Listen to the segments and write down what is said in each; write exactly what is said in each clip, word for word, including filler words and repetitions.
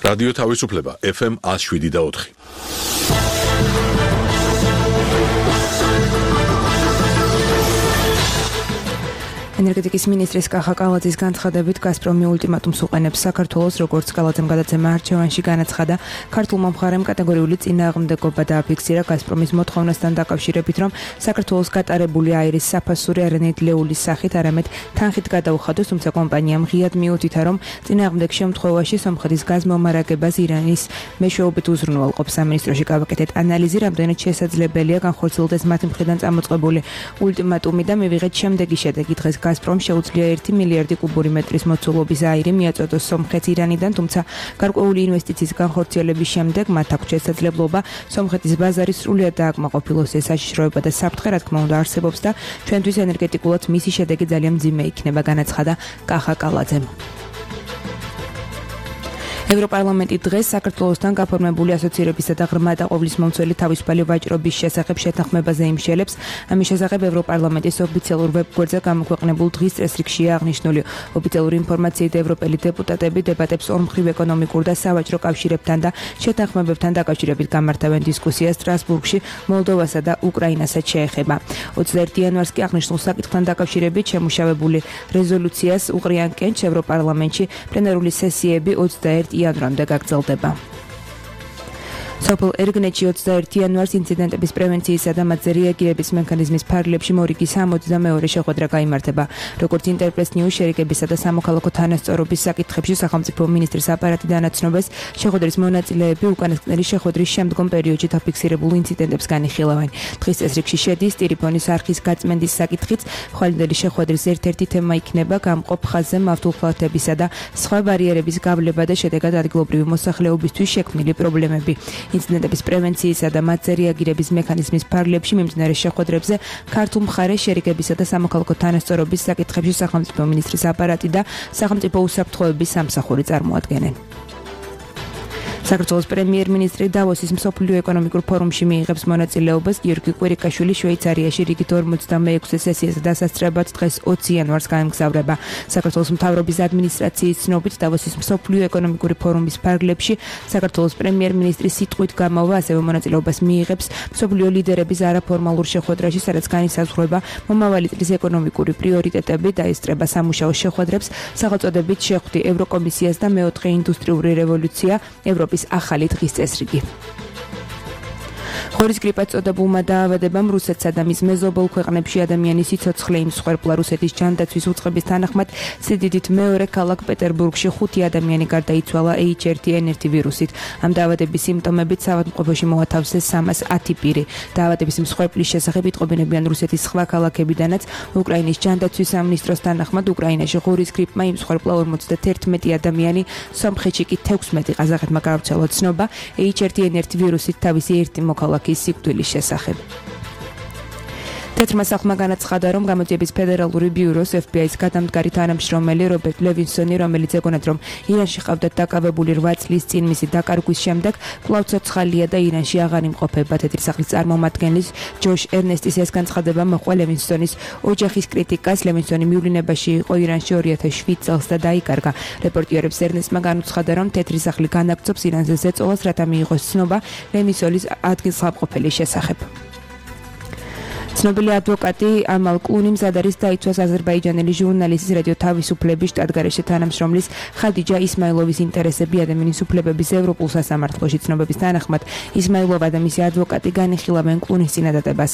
რადიო თავისუფლება ეფ ემ one oh seven და four. ენერგეტიკის მინისტრის კახა კალაძის განცხადებით გაზპრომი ულტიმატუმს უყენებს საქართველოს, როგორც კალაძემ გადაცემა არჩევანში განაცხადა. ქართულმა მხარემ კატეგორიული წინააღმდეგობა დააფიქსირა გაზპრომის მოთხოვნასთან დაკავშირებით, რომ საქართველოს გატარებული აირის საფასური არანაირ ლეულის სახით, არამედ თანხით გადაუხადოს, თუმცა კომპანიამ ღიად მიუთითა, რომ წინააღმდეგ შემთხვევაში სომხეთის გაზმომარაგებას ირანის მეშვეობით უზრუნველყოფს. სამინისტროში გავაკეთეთ ანალიზი, რამდენად შესაძლებელია განხორციელდეს მათი მხრიდან წამოწყებული ულტიმატუმი და მივიღეთ შემდეგი შედეგი. დღეს გაზპრომ შეუძლია ერთი მილიარდი კუბური მეტრის მოცულობის აირი მიაწოდოს სომხეთს ირანიდან, თუმცა გარკვეული ინვესტიციის განხორციელების შემდეგ მათ აქვს შესაძლებლობა სომხეთის ბაზარი სრულიად დააკმაყოფილოს. ეს საშიშროება და საფრთხე, რა თქმა უნდა, არსებობს და ჩვენთვის ენერგეტიკულად მისი შედეგი ძალიან მძიმე იქნება, განაცხადა კახა კალაძემ. ევროპარლამენტი დღეს საქართველოსთან გაფორმებული ასოცირებისა და ღრმა დაყოვილის მომცველი თავისუფალი ვაჭრობის შესახებ შეთანხმებაზე იმშელებს. ამის შესახებ ევროპარლამენტის ოფიციალურ ვებგვერდზე გამოქვეყნებულ დღის წესრიგშია აღნიშნული. ოფიციალური ინფორმაციით ევროპელი დეპუტატები დებატებს ორმხრივ ეკონომიკურ და სავაჭრო კავშირებთან და შეთანხმებებთან დაკავშირებით გამართავენ დისკუსიას სტრასბურგში, მოლდოვასა და უკრაინასაც შეეხება. ოცდაერთი იანვარს კი აღნიშნულ საკითხთან დაკავშირებით შემუშავებული რეზოლუციას უყრიან კენჭს ევროპარლამენტში. პლენარული სესიები ოცდაერთი იანვრამდე გაგრძელდება. სოფელ ერგნეთში ოცდაერთი იანვარს ინციდენტების პრევენციისა და მათზე რეაგირების მექანიზმის ფარგლებში მორიგის სამოცდამეორე შეხვედრა გაიმართება. როგორც ინტერპრეს ნიუს შერიკებისა და სამოქალაქო თანასწორობის საკითხებში სახელმწიფო მინისტრის აპარატი განაცნობეს, შეხვედრის მონაწილეები უკანასკნელი შეხვედრის შემდგომ პერიოდში დაფიქსირებულ ინციდენტებს განიხილავენ. დღის წესრიგში შედის ტელეფონის არხის გაწმენდის საკითხიც. ხვალინდელი შეხვედრის ერთ-ერთი თემა იქნება გამყოფ ხაზზე მავთულხლათებისა და სხვა ბარიერების გავლება და შედეგად ადგილობრივი მოსახლეობისთვის შექმნილი პრობლემები. ინციდენტების პრევენციისა და მათზე რეაგირების მექანიზმის ფარგლებში მიმდინარე შეხვედრებზე ქართულ მხარეს შერიკებისა და სამოქალაქო თანასწორობის საკითხებში სახელმწიფო მინისტრის აპარატი და სახელმწიფო უსაფრთხოების სამსახური წარმოადგენენ. საქართველოს პრემიერ-მინისტრი დავოსის მსოფლიო ეკონომიკურ ფორუმში მიიღებს მონაწილეობას. გიორგი კვირიკაშვილი შვეიცარიაში რიგით ორმოცდამეექვსე სესიას დასასწრებად დღეს ოცი იანვარს გაემგზავრება. საქართველოს მთავრობის ადმინისტრაციის ცნობით დავოსის მსოფლიო ეკონომიკური ფორუმის ფარგლებში საქართველოს პრემიერ-მინისტრის სიტყვით გამოვა ასევე მონაწილეობას მიიღებს მსოფლიო ლიდერების არაფორმალურ შეხვედრაში, სადაც განისაზღვრება მომავალი წლის ეკონომიკური პრიორიტეტები, დაესწრება სამუშაო შეხვედრებს, სახელწოდებით შეხვდი ევროკომისიას და მეოთხე ინდუსტრიული რევოლუცია, ევროპის ახალი დღის წესრიგი. ხორის გრიპას წოდებულმა დაავადებამ რუსეთსა და მის მეზობელ ქვეყნებში ადამიანის სიცოცხლე იმსხვერპლა. რუსეთის ჯანდაცვის უწყების თანახმად სიდიდით მეორე ქალაქ პეტერბურგში ხუთი ადამიანი გარდაიცვალა ეიჩ ერთ ენ ერთ ვირუსით. ამ დაავადების სიმპტომებით საავადმყოფოში მოათავსეს სამას ათი პირი. დაავადების მსხვერპლის შესახებ იტყობინებიან რუსეთის სხვა ქალაქებიდანაც. უკრაინის ჯანდაცვის სამინისტროს თანახმად უკრაინაში ხორის გრიპმა იმსხვერპლა ორმოცდაერთმეტი ადამიანი, სომხეთში კი თექვსმეტი. ყაზახეთმა გავრცელა ცნობა ეიჩ ერთ ენ ერთ ვირუსით თავისი ერთი მოქალაქის სიკვდილის შესახებ. თეთრმა სახლმა განაცხადა, რომ გამოძიების ფედერალური ბიუროს ეფ ბი აის გადამდგარი თანამშრომელი რობერტ ლევინსონი, რომელიც ეგონათ, რომ ირანში ყავდათ დაკავებული რვა წლის წინ მისი დაკარგვის შემდეგ კვლავ ცოცხალია და ირანში აღარ იმყოფება. თეთრი სახლის წარმომადგენლის ჯოშ ერნესტის ეს განცხადება მოჰყვა ლევინსონის ოჯახის კრიტიკას. ლევინსონი მივლინებაში იყო ირანში ორი ათას შვიდ წელს და დაიკარგა. რეპორტიერებს ერნესტმა განუცხადა, რომ თეთრი სახლი განაგრძობს ირანზე ზეწოლას, რათა მიიღოს ცნობა ლევინსონის ადგილსამყოფელის შესახებ. ცნობილი ადვოკატი ამალ კლუნი მზად არის დაიცვას აზერბაიჯანელი ჟურნალისტის რადიო თავისუფლების შტატგარეშე თანამშრომლის ხადიჯა ისმაილოვის ინტერესები ადამიანის უფლებების ევროპულ სასამართლოში. ცნობების თანახმად ისმაილოვა და მისი ადვოკატი განიხილავენ კლუნის წინადადებას.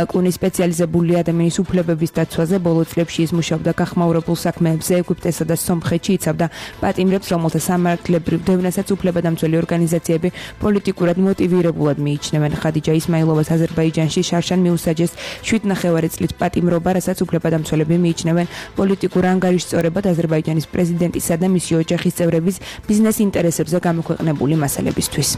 კლუნი სპეციალიზებული ადამიანის უფლებების დაცვაზე, ბოლო წლებში ის მუშაობდა გახმაურებულ საქმეებზე ეგვიპტესა და სომხეთში, იცავდა პატიმრებს, რომელთა სამართლებრივ დევნასაც უფლებადამცველი ორგანიზაციები პოლიტიკურად მოტივირებულად მიიჩნევენ. ხადიჯა ისმაილოვას აზერბაიჯანში შარშან მიუსაჯეს შვიდ ნახევარი წლით პატიმრობა, რასაც უფლებადამცველები მიიჩნევენ პოლიტიკურ ანგარიშსწორებად აზერბაიჯანის პრეზიდენტისა და მისი ოჯახის წევრების ბიზნეს ინტერესებზე გამოქვეყნებული მასალებისთვის.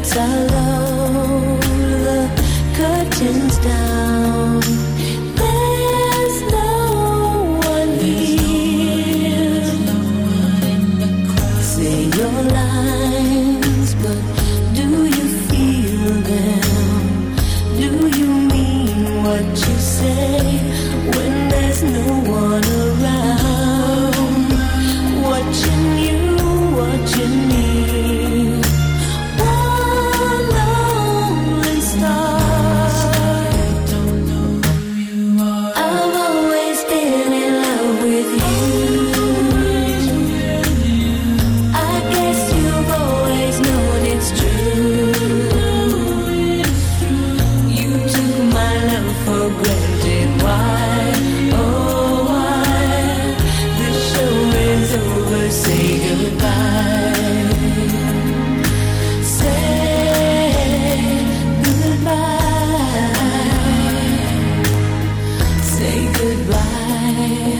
lights are low, the curtains down. There's no one here. Say your lines, but do you feel them? Do you mean what you say when there's no one around? Watching you, watching me. One lonely star. I don't know who you are. I've always been in love with you. I guess you've always known it's true. You took my love for granted. Why? Oh, why? The show is over. Say goodbye. Say goodbye. Say goodbye.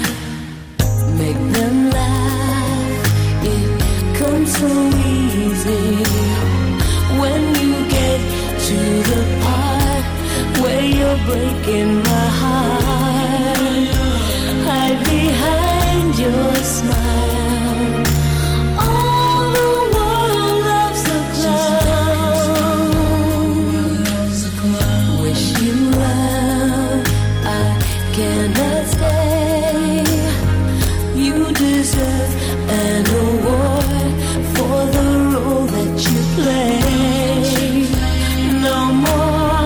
Make them laugh. It comes so easy when you get to the part where you're breaking my heart. Hide behind your smile. All the world loves a clown. Wish you well, I cannot stay. You deserve an award for the role that you play. No more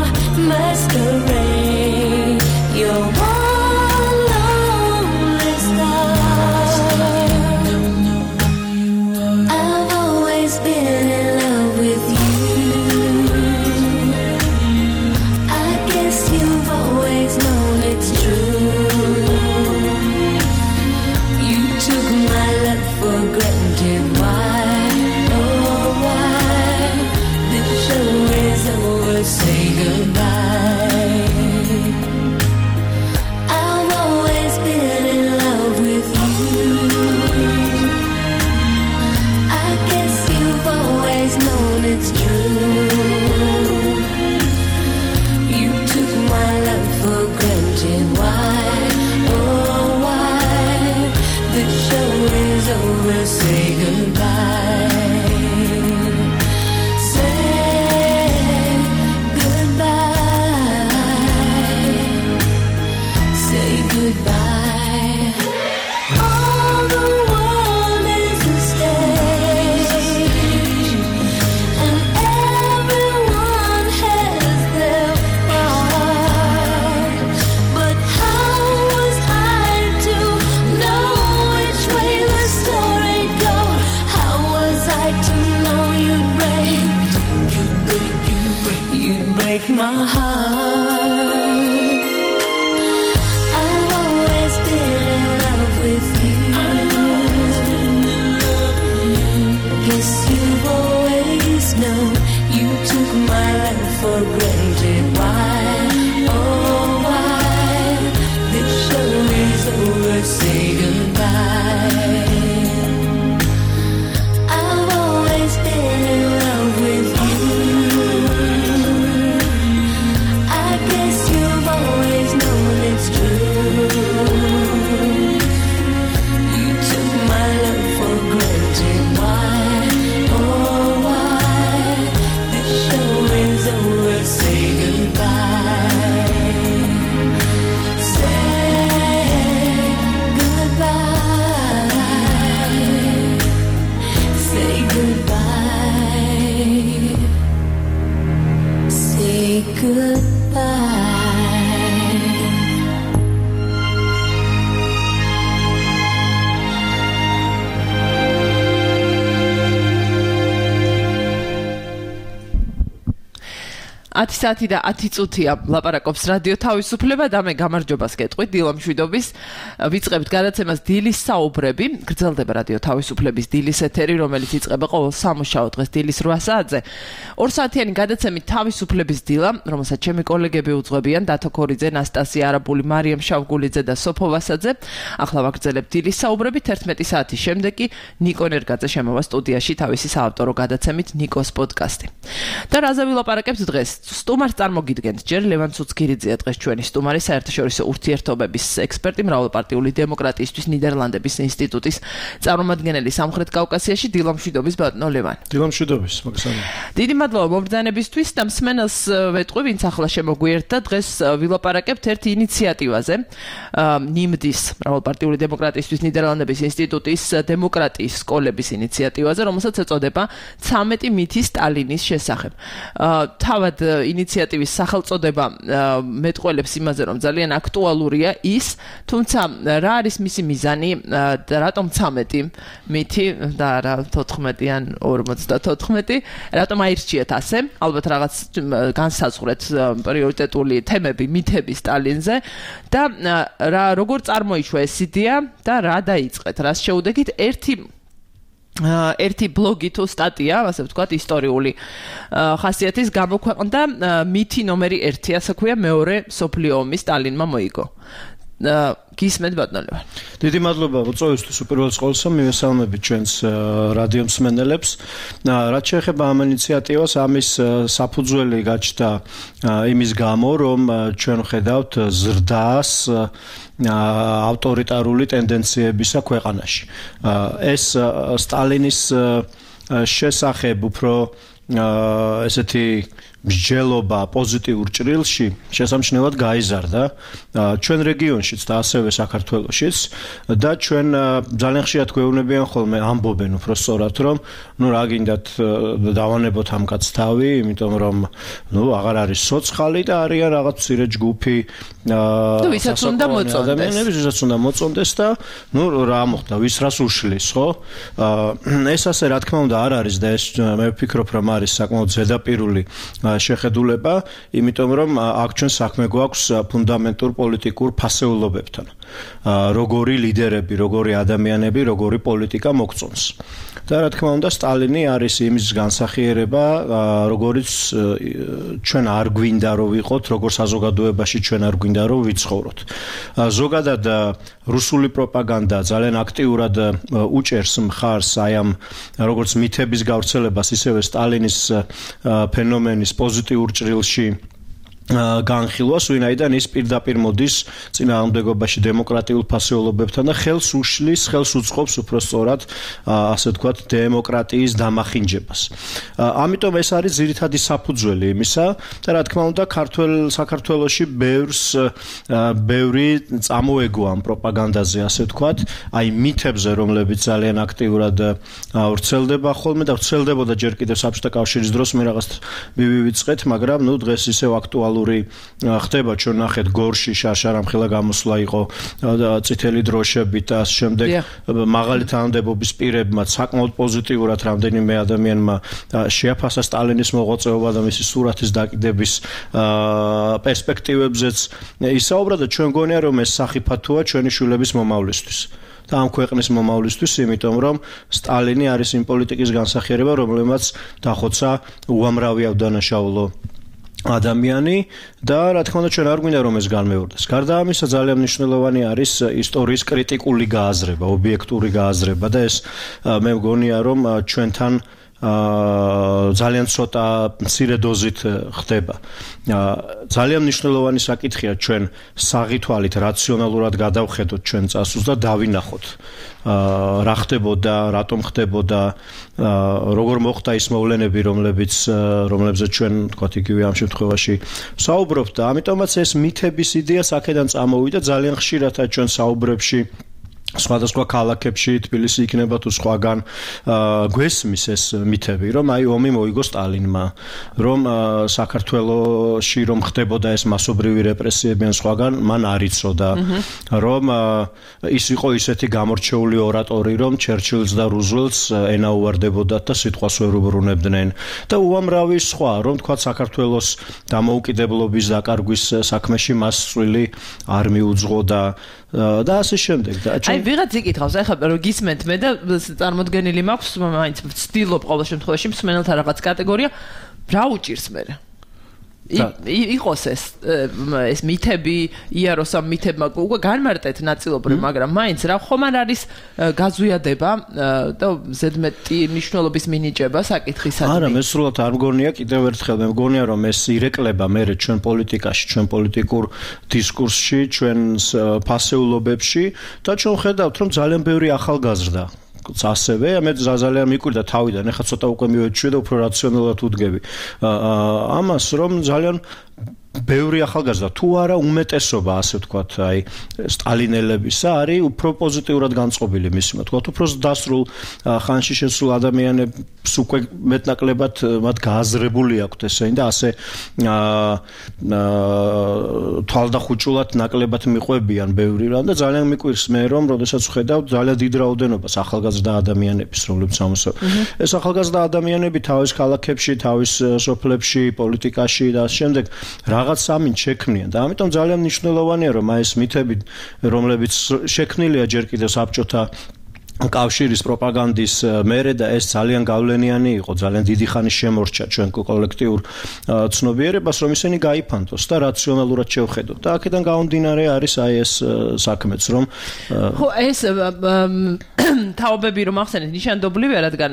masquerade. You're one lonely star. I've always been in love with you. I guess you've always known it's true. You took my love for granted. Why? Oh, why? The show is over. Say goodbye. I've always been in love with you. I guess you've always known it's true. You took my love for granted. Why? Oh, why? The show is over. Say goodbye. Say goodbye. Say goodbye. All the world is a stage, and everyone has their part. But how was I to know which way the story goes? How was I to know you'd break, you'd break, you'd break, you'd break my heart? I've always been in love with you. Guess you've always known you took my love for granted. Why? Oh, why? The show is over. Say goodbye. I've always been in love with you. I guess you've always known it's true. You took my love for granted. Why? Oh, why? The show is over. Say goodbye. Say goodbye. Say goodbye. Say goodbye. ათი საათი და ათი წუთია ლაპარაკობს რადიო თავისუფლება და მე გამარჯვებას გეტყვით დილა მშვიდობის ვიწყებთ გადაცემას დილის საუბრები გრძელდება რადიო თავისუფლების დილის ეთერი რომელიც იწყება ყოველ სამუშაო დღეს დილის რვა საათზე ორ საათიანი გადაცემით თავისუფლების დილა რომელსაც ჩემი კოლეგები უძღვებიან დათო ქორიძე ნასტასია არაბული მარიამ შავგულიძე და სოფო ვასაძე ახლა ვაგრძელებთ დილის საუბრებით ერთმეტი საათის შემდეგ კი ნიკო ნერგაძე შემოვა სტუდიაში თავისი საავტორო გადაცემით ნიკოს პოდკასტი და რაზე ვილაპარაკებთ დღეს სტუმარს წარმოგიდგენთ ჯერ ლევან ცუცქირიძეა დღეს ჩვენი სტუმარი საერთაშორისო ურთიერთობების ექსპერტი მრავალპარტიული დემოკრატიისთვის ნიდერლანდების ინსტიტუტის წარმომადგენელი სამხრეთ კავკასიაში დილა მშვიდობის ბატონო ლევან დილა მშვიდობის მოგესალმებით დიდი მადლობა მომბრძანებისთვის და მსმენელს ვეტყვი ვინც ახლა შემოგვიერთდა დღეს ვილაპარაკებთ ერთ ინიციატივაზე ნიმდის მრავალპარტიული დემოკრატიისთვის ნიდერლანდების ინსტიტუტის დემოკრატიის სკოლების ინიციატივაზე რომელსაც ეწოდება ცამეტი მითი სტალინის შესახებ თავად ინიციატივის სახელწოდება მეტყველებს იმაზე რომ ძალიან აქტუალურია ის თუმცა რა არის მისი მიზანი და რატომ ცამეტი მითი და რა თოთხმეტი ან ორმოცდათოთხმეტი რატომ აირჩიეთ ასე ალბათ რაღაც განსაზღვრეთ პრიორიტეტული თემები მითები სტალინზე და რა როგორ წარმოიშვა ეს იდეა და რა დაიწყეთ რას შეუდექით ერთი ერთი ბლოგი თუ სტატია, ასე ვთქვათ, ისტორიული ხასიათის გამოქვეყნდა მითი ნომერი ერთი, ასე ქვია, მეორე მსოფლიო ომის სტალინმა მოიგო. გისმენთ ბატონო ლევან. დიდი მადლობა უწევისთვის უპირველეს ყოვლისა მივესალმებით ჩვენს რადიო მსმენელებს. რაც შეეხება ამ ინიციატივას, ამის საფუძველი გაჩნდა იმის გამო, რომ ჩვენ ვხედავთ ზრდას ავტორიტარული ტენდენციებისა ქვეყანაში. ეს სტალინის შესახებ უფრო ესეთი მსჯელობა პოზიტიურ ჭრილში შესამჩნევად გაიზარდა ჩვენ რეგიონშიც და ასევე საქართველოშიც და ჩვენ ძალიან ხშირად გვეუბნებიან ხოლმე ამბობენ უფრო სწორად რომ ნუ რა გინდათ დავანებოთ ამ კაცს თავი იმიტომ რომ ნუ აღარ არის სოცხალი და არიან რაღაც მცირე ჯგუფი ვისაც უნდა მოწონდეს ვისაც უნდა მოწონდეს და ნუ რა მოხდა ვის რას უშლის ხო ეს ასე რა თქმა უნდა არ არის და ეს მე ვფიქრობ რომ არის საკმაოდ ზედაპირული შეხედულება, იმიტომ რომ აქ ჩვენ საქმე გვაქვს ფუნდამენტურ პოლიტიკურ ფასეულობებთან. როგორი ლიდერები, როგორი ადამიანები, როგორი პოლიტიკა მოგწონს. და რა თქმა უნდა, სტალინი არის იმის განსახიერება, როგორიც ჩვენ არ გვინდა რომ ვიყოთ, როგორ საზოგადოებაში ჩვენ არ გვინდა რომ ვიცხოვროთ. ზოგადად რუსული პროპაგანდა ძალიან აქტიურად უჭერს მხარს აი ამ როგორც მითების გავრცელებას, ისევე სტალინის ფენომენის პოზიტიურ ჭრილში განხილვას, ვინაიდან ის პირდაპირ მოდის წინააღმდეგობაში დემოკრატიულ ფასეულობებთან და ხელს უშლის, ხელს უწყობს უფრო სწორად, ასე ვთქვათ, დემოკრატიის დამახინჯებას. ამიტომ ეს არის ძირითადი საფუძველი იმისა და რა თქმა უნდა, ქართულ საქართველოში ბევრს ბევრი წამოეგო ამ პროპაგანდაზე, ასე ვთქვათ, აი მითებზე, რომლებიც ძალიან აქტიურად ვრცელდება ხოლმე და ვრცელდებოდა ჯერ კიდევ საბჭოთა კავშირის დროს მე რაღაც მივივიწყეთ, მაგრამ ნუ დღეს ისევ აქტუალური ხდება ჩვენ ნახეთ გორში შარშარამხელა გამოსვლა იყო წითელი დროშებით და ამ შემდეგ მაღალი თანამდებობის პირებმა საკმაოდ პოზიტიურად რამდენიმე ადამიანმა შეაფასა სტალინის მოღვაწეობა და მისი სურათის დაკიდების პერსპექტივებზეც ისაუბრა და ჩვენ გონია რომ ეს სახიფათოა ჩვენი შვილების მომავლისთვის. და ამ ქვეყნის მომავლისთვის, იმიტომ რომ სტალინი არის იმ პოლიტიკის განსახიერება, რომელმაც დახოცა უამრავი ავდანაშაულო ადამიანი და რა თქმა უნდა ჩვენ არ გვინდა რომ ეს განმეორდეს. გარდა ამისა ძალიან მნიშვნელოვანი არის ისტორიის კრიტიკული გააზრება, ობიექტური გააზრება და ეს მე მგონია რომ ჩვენთან ძალიან ცოტა მცირე დოზით ხდება. ძალიან მნიშვნელოვანი საკითხია ჩვენ საღითვალით რაციონალურად გადავხედოთ ჩვენ წასულს და დავინახოთ რა ხდებოდა, რატომ ხდებოდა, როგორ მოხდა ის მოვლენები, რომლებიც რომლებზეც ჩვენ თქვათ იგივე ამ შემთხვევაში საუბრობთ და ამიტომაც ეს მითების იდეა აქედან წამოვიდა ძალიან ხშირად ჩვენ საუბრებში სხვადასხვა ქალაქებში თბილისი იქნება თუ სხვაგან გვესმის ეს მითები, რომ აი ომი მოიგო სტალინმა, რომ საქართველოში რომ ხდებოდა ეს მასობრივი რეპრესიები ან სხვაგან, მან არ იცოდა, რომ ის იყო ისეთი გამორჩეული ორატორი, რომ ჩერჩილს და რუზველტს ენაუვარდებოდათ და სიტყვას ვერ უბრუნებდნენ და უამრავი სხვა, რომ თქვა საქართველოს დამოუკიდებლობის დაკარგვის საქმეში მას წვლილი არ მიუძღოდა და ასე შემდეგ და აი ვიღაც იკითხავს ახლა რომ გისმენთ მე და წარმოდგენილი მაქვს მაინც ვცდილობ ყოველ შემთხვევაში მსმენელთა რაღაც კატეგორია რა უჭირს მე იყოს ეს ეს მითები იაროს ამ მითებმა უკვე განმარტეთ ნაწილობრივ მაგრამ მაინც რა ხომ არ არის გაზვიადება და ზედმეტი მნიშვნელობის მინიჭება საკითხისადმი არა მე სრულად არ მგონია კიდევ ერთხელ მე მგონია რომ ეს ირეკლება მე ჩვენ პოლიტიკაში ჩვენ პოლიტიკურ დისკურსში ჩვენ ფასეულობებში და ჩვენ ხედავთ რომ ძალიან ბევრი ახალგაზრდა ასევე მე ძალიან მიკვირდა თავიდან ეხლა ცოტა უკვე მივეჩვე და უფრო რაციონალურად ვუდგები ამას რომ ძალიან ბევრი ახალგაზრდა თუ არა უმეტესობა ასე ვთქვათ აი სტალინელებისა არის უფრო პოზიტიურად განწყობილი მისი ვთქვათ უფრო დასრულ ხანში შესულ ადამიანებს უკვე მეტნაკლებად მათ გააზრებული აქვთ ესენი და ასე თვალდახუჭულად ნაკლებად მიყვებიან ბევრი რამ და ძალიან მიკვირს მე რომ როდესაც ვხედავ ძალიან დიდ რაოდენობას ახალგაზრდა ადამიანების რომლებიც ამასწავლებლად ეს ახალგაზრდა ადამიანები თავის ქალაქებში თავის სოფლებში პოლიტიკაში და შემდეგ რაღაც სამინთ შექმნიან და ამიტომ ძალიან მნიშვნელოვანია რომ აი ეს მითები რომლებიც შექმნილია ჯერ კიდევ საბჭოთა კავშირის პროპაგანდის მერე და ეს ძალიან გავლენიანი იყო ძალიან დიდი ხანი შემორჩა ჩვენ კოლექტიურ ცნობიერებას რომ ისინი გაიფანტოს და რაციონალურად შევხედოთ და აქედან გამომდინარე არის აი ეს საქმეც რომ ხო ეს თაობები რომ ახსენეთ ნიშანდობლივია რადგან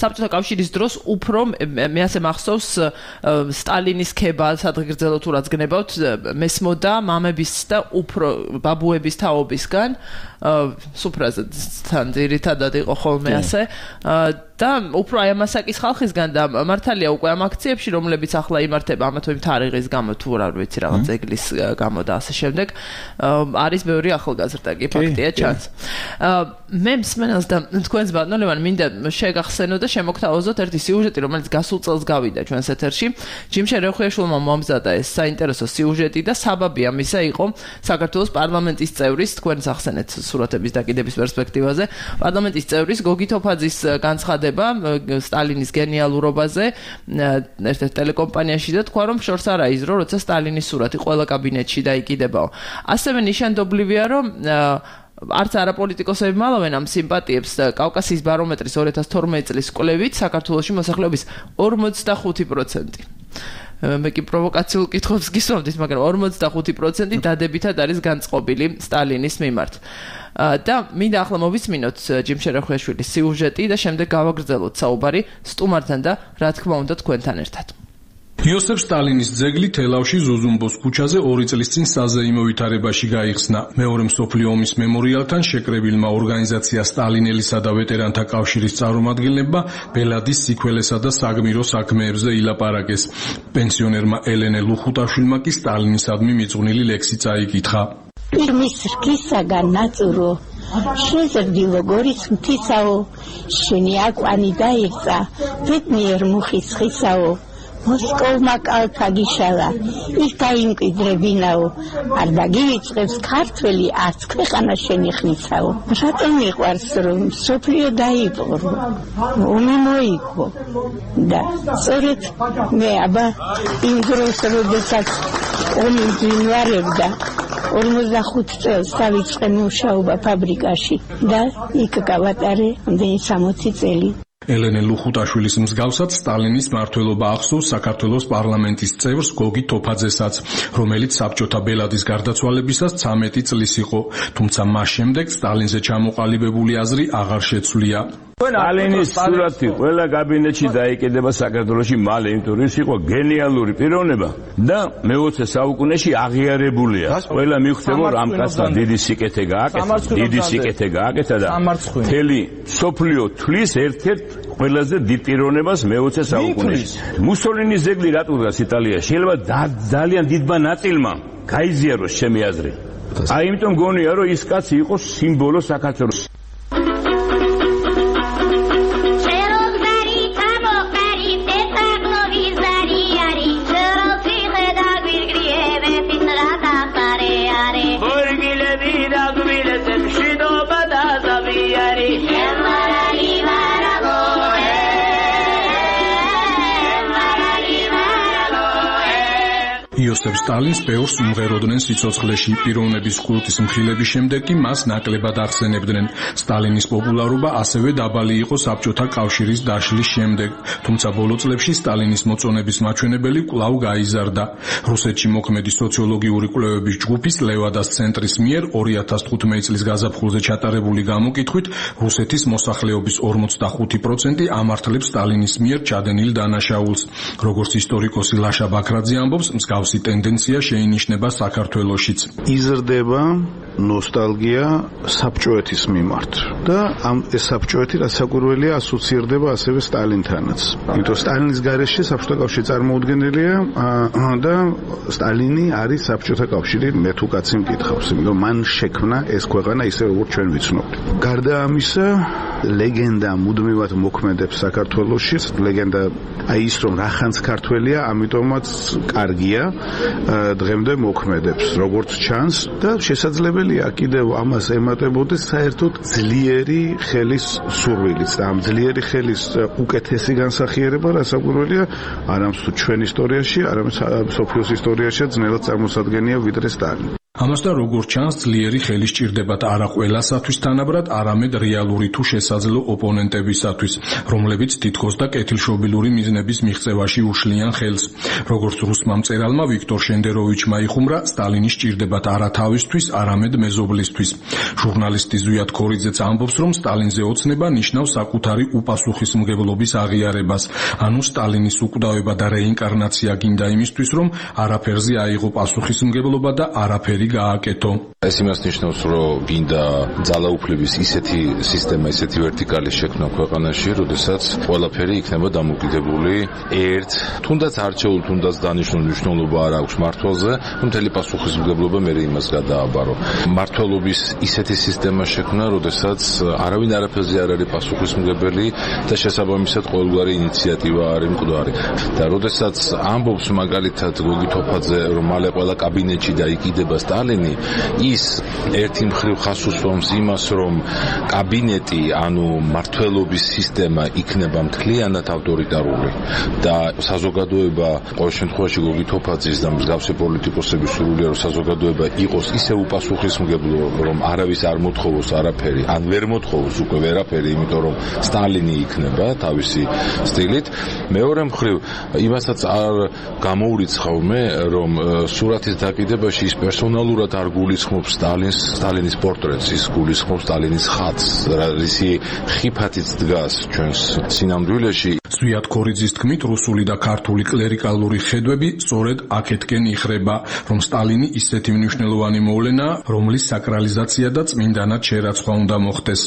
საბჭოთა კავშირის დროს უფრო მე ასე მახსოვს სტალინის ქება სადღეგრძელო თუ რაც გნებავთ მესმოდა მამების და უფრო ბაბუების თაობისგან სუფრაზე თან ძირითადად იყო ხოლმე ასე და უფრო აი ამასაკის ხალხისგან და მართალია უკვე ამ აქციებში რომლებიც ახლა იმართება ამა თუ იმ თარიღის გამო თუ რა ვიცი რაღაც ეგლის გამო და ასე შემდეგ არის ბევრი ახალგაზრდა კი ფაქტია ჩანს მე მსმენელს და თქვენს ბატონო ლევან მინდა შეგახსენო და შემოგთავაზოთ ერთი სიუჟეტი რომელიც გასულ წელს გავიდა ჩვენს ეთერში ჯიმშე რეხუიაშვილმა მომზადა ეს საინტერესო სიუჟეტი და საბაბი ამისა იყო საქართველოს პარლამენტის წევრის თქვენს ახსენეთ სურათების დაკიდების პერსპექტივაზე პარლამენტის წევრის გოგი თოფაძის განცხადება სტალინის გენიალურობაზე ერთ-ერთ ტელეკომპანიაში და თქვა რომ შორს არ აიზრო როცა სტალინის სურათი ყველა კაბინეტში დაიკიდებაო ასევე ნიშანდობლივია რომ არც არაპოლიტიკოსები მალავენ ამ სიმპათიებს კავკასიის ბარომეტრის ორი ათას თორმეტი წლის კვლევით საქართველოში მოსახლეობის ორმოცდახუთი პროცენტი მე კი პროვოკაციულ კითხვებს გისვამდით მაგრამ ორმოცდახუთი პროცენტი დადებითად არის განწყობილი სტალინის მიმართ და მინდა ახლა მოვისმინოთ ჯიმშე რეხუიაშვილის სიუჟეტი და შემდეგ გავაგრძელოთ საუბარი სტუმართან და რა თქმა უნდა თქვენთან ერთად იოსებ სტალინის ძეგლი თელავში ზუზუმბოს ქუჩაზე ორი წლის წინ საზეიმო ვითარებაში გაიხსნა. მეორე მსოფლიო ომის მემორიალთან შეკრებილმა ორგანიზაცია სტალინელისა და ვეტერანთა კავშირის წარმომადგენლებმა ბელადის სიქველესა და საგმირო საქმეებზე ილაპარაკეს. პენსიონერმა ელენე ლუხუტაშვილმა კი სტალინისადმი მიძღვნილი ლექსი წაიკითხა. Irmis rkisagან ნაწურო შეზრდილო გორის მთისაო შენი აკვანი დაიღწა ბედნიერ მუხის ხისაო მოსკოვმა კალთა გიშალა ის გაიმკვიდრებინაო არ დაგივიწყებს ქართველი არც ქვეყანა შენი ხნისაო რატომ მიყვარს რომ სოფლიო დაიპყრო ომი მოიგო და სწორედ მე აბა იმ დროს როდესაც ომი ძინვარებდა ორმოცდახუთი წელს დავიწყე მუშაობა ფაბრიკაში და იქ გავატარე ამდენი სამოცი წელი ელენე ლუხუტაშვილის მსგავსად სტალინის მმართველობა ახსოვს საქართველოს პარლამენტის წევრს გოგი თოფაძესაც, რომელიც საბჭოთა ბელადის გარდაცვალებისას ცამეტი წლის იყო, თუმცა მას შემდეგ სტალინზე ჩამოყალიბებული აზრი აღარ შეცვლია. სტალინის სურათი ყველა კაბინეტში დაიკიდება საქართველოში მალე, იმიტომ რომ ის იყო გენიალური პიროვნება და მეოცე საუკუნეში აღიარებულია. ყველა მიხვდება რომ ამ კაცმა დიდი სიკეთე გააკეთა, დიდი სიკეთე გააკეთა და მთელი სოფლიო თვლის ერთ-ერთ ყველაზე დიდ პიროვნებას მეოცე საუკუნეში. მუსოლინის ძეგლი რატო დგას იტალიაში? შეიძლება ძალიან დიდმა ნაწილმა გაიზიაროს ჩემი აზრით. აი იმიტომ გონია რომ ის კაცი იყოს სიმბოლო საქართველოს. იოსებ სტალინს ბევრს უმღეროდნენ სიცოცხლეში. პიროვნების კულტის მხილების შემდეგ კი მას ნაკლებად ახსენებდნენ. სტალინის პოპულარობა ასევე დაბალი იყო საბჭოთა კავშირის დაშლის შემდეგ, თუმცა ბოლო წლებში სტალინის მოწონების მაჩვენებელი კვლავ გაიზარდა. რუსეთში მოქმედი სოციოლოგიური კვლევების ჯგუფის ლევადას ცენტრის მიერ ორი ათას თხუთმეტი წლის გაზაფხულზე ჩატარებული გამოკითხვით რუსეთის მოსახლეობის ორმოცდახუთი პროცენტი ამართლებს სტალინის მიერ ჩადენილ დანაშაულს. როგორც ისტორიკოსი ლაშა ბაქრაძე ამბობს, მსგავსი ტენდენცია შეინიშნება საქართველოშიც. იზრდება ნოსტალგია საბჭოეთის მიმართ და ამ ეს საბჭოეთი რასაკვირველია ასოცირდება ასევე სტალინთანაც. იმიტომ სტალინის გარეშე საბჭოთა კავშირი წარმოუდგენელია და სტალინი არის საბჭოთა კავშირი, მე თუ კაცი მკითხავს, იმიტომ მან შექმნა ეს ქვეყანა ისე როგორც ჩვენ ვიცნობთ. გარდა ამისა, ლეგენდა მუდმივად მოქმედებს საქართველოში. ლეგენდა აი ის რომ რახანს ქართველია, ამიტომაც კარგია დღემდე მოქმედებს როგორც ჩანს და შესაძლებელია კიდევ ამას ემატებოდეს საერთოდ ძლიერი ხელის სურვილიც და ამ ძლიერი ხელის უკეთესი განსახიერება რასაკვირველია არამც თუ ჩვენ ისტორიაში, არამც სოფიოს ისტორიაში ძნელად წარმოსადგენია ვიდრე სტალინი. ამასთან როგორც ჩანს, ძლიერი ხელი სჭირდებათ არა ყველასათვის თანაბრად, არამედ რეალური თუ შესაძლო ოპონენტებისათვის, რომლებიც თითქოს და კეთილშობილური მიზნების მიღწევაში უშლიან ხელს. როგორც რუსმა მწერალმა ვიქტორ შენდეროვიჩმა იხუმრა, სტალინი სჭირდებათ არა თავისთვის, არამედ მეზობლისთვის. ჟურნალისტი ზვიად ქორიძეც ამბობს, რომ სტალინზე ოცნება ნიშნავს საკუთარი უპასუხისმგებლობის აღიარებას, ანუ სტალინის უკვდავება და რეინკარნაცია გინდა იმისთვის, რომ არაფერზე აიღო პასუხისმგებლობა და არაფერი გააკეთო. ეს იმას ნიშნავს, რომ გინდა ძალაუფლების ისეთი სისტემა, ისეთი ვერტიკალი შექმნა ქვეყანაში, როდესაც ყველაფერი იქნება დამოკიდებული ერთ, თუნდაც არჩეულ, თუნდაც დანიშნულ მნიშვნელობა არ აქვს მართლზე, მთელი პასუხისმგებლობა მე იმას გადააბარო. მართლობის ისეთი სისტემა შექმნა, როდესაც არავინ არაფერზე არ არის პასუხისმგებელი და შესაბამისად ყოველგვარი ინიციატივა არის მკვდარი. და როდესაც ამბობს მაგალითად გოგი თოფაძე, რომ მალე ყველა კაბინეტში დაიკიდება სტალინი, ის ერთი მხრივ ხას უსვამს იმას, რომ კაბინეტი, ანუ მმართველობის სისტემა იქნება მთლიანად ავტორიტარული და საზოგადოება, ყოველ შემთხვევაში გოგი თოფაძის და მსგავსი პოლიტიკოსების სურვილია, რომ საზოგადოება იყოს ისე უპასუხისმგებლო, რომ არავის არ მოთხოვოს არაფერი, ან ვერ მოთხოვოს უკვე ვერაფერი, იმიტომ რომ სტალინი იქნება თავისი სტილით. მეორე მხრივ იმასაც არ გამოურიცხავ მე, რომ სურათის დაკიდებაში ის პერსონალურად არ გულისხმობს სტალინს, სტალინის პორტრეტს, ის გულისხმობს სტალინის ხატს, რისი ხიფათიც დგას ჩვენს სინამდვილეში. ზვიად ქორიძის თქმით, რუსული და ქართული კლერიკალური ხედვები სწორედ აქეთკენ იხრება, რომ სტალინი ისეთი მნიშვნელოვანი მოვლენაა, რომლის საკრალიზაცია და წმინდანად შერაცხვა უნდა მოხდეს.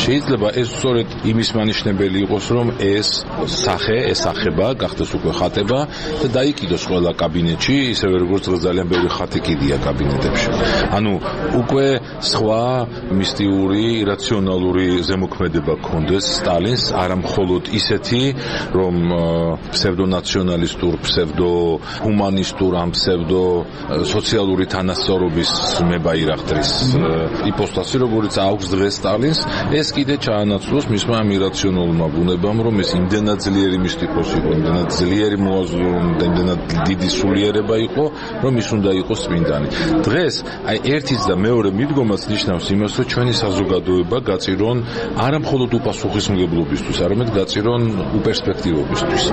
შეიძლება ეს სწორედ იმის მანიშნებელი იყოს, რომ ეს სახე, ეს სახება გახდეს უკვე ხატება და დაიკიდოს ყველა კაბინეტში, ისევე როგორც ძალიან ბევრი ხატი კიდია კაბინეტებში. ანუ უკვე სხვა მისტიური, რაციონალური ზემოქმედება გქონდეს სტალინს, არა მხოლოდ ისეთი, რომ ფსევდონაციონალისტურ, ფსევდოჰუმანისტურ, ამ ფსევდო სოციალური თანასწორობის მებაირახტრის იპოსტასი, როგორც აქვს დღეს სტალინს, ეს კიდე ჩაანაცვლოს მისმა ამ ირაციონალურმა ბუნებამ, რომ ეს იმდენად ძლიერი მისტიკოსი იყო, იმდენად ძლიერი მოაზროვნე, იმდენად დიდი სულიერება იყო, რომ ის უნდა იყოს წმინდანი. დღეს აი ერთის და მეორე მიდგომაც ნიშნავს იმას, რომ ჩვენი საზოგადოება გაწირონ არა მხოლოდ უპასუხისმგებლობისთვის, არამედ გაწირონ უპერსპექტივობისთვის.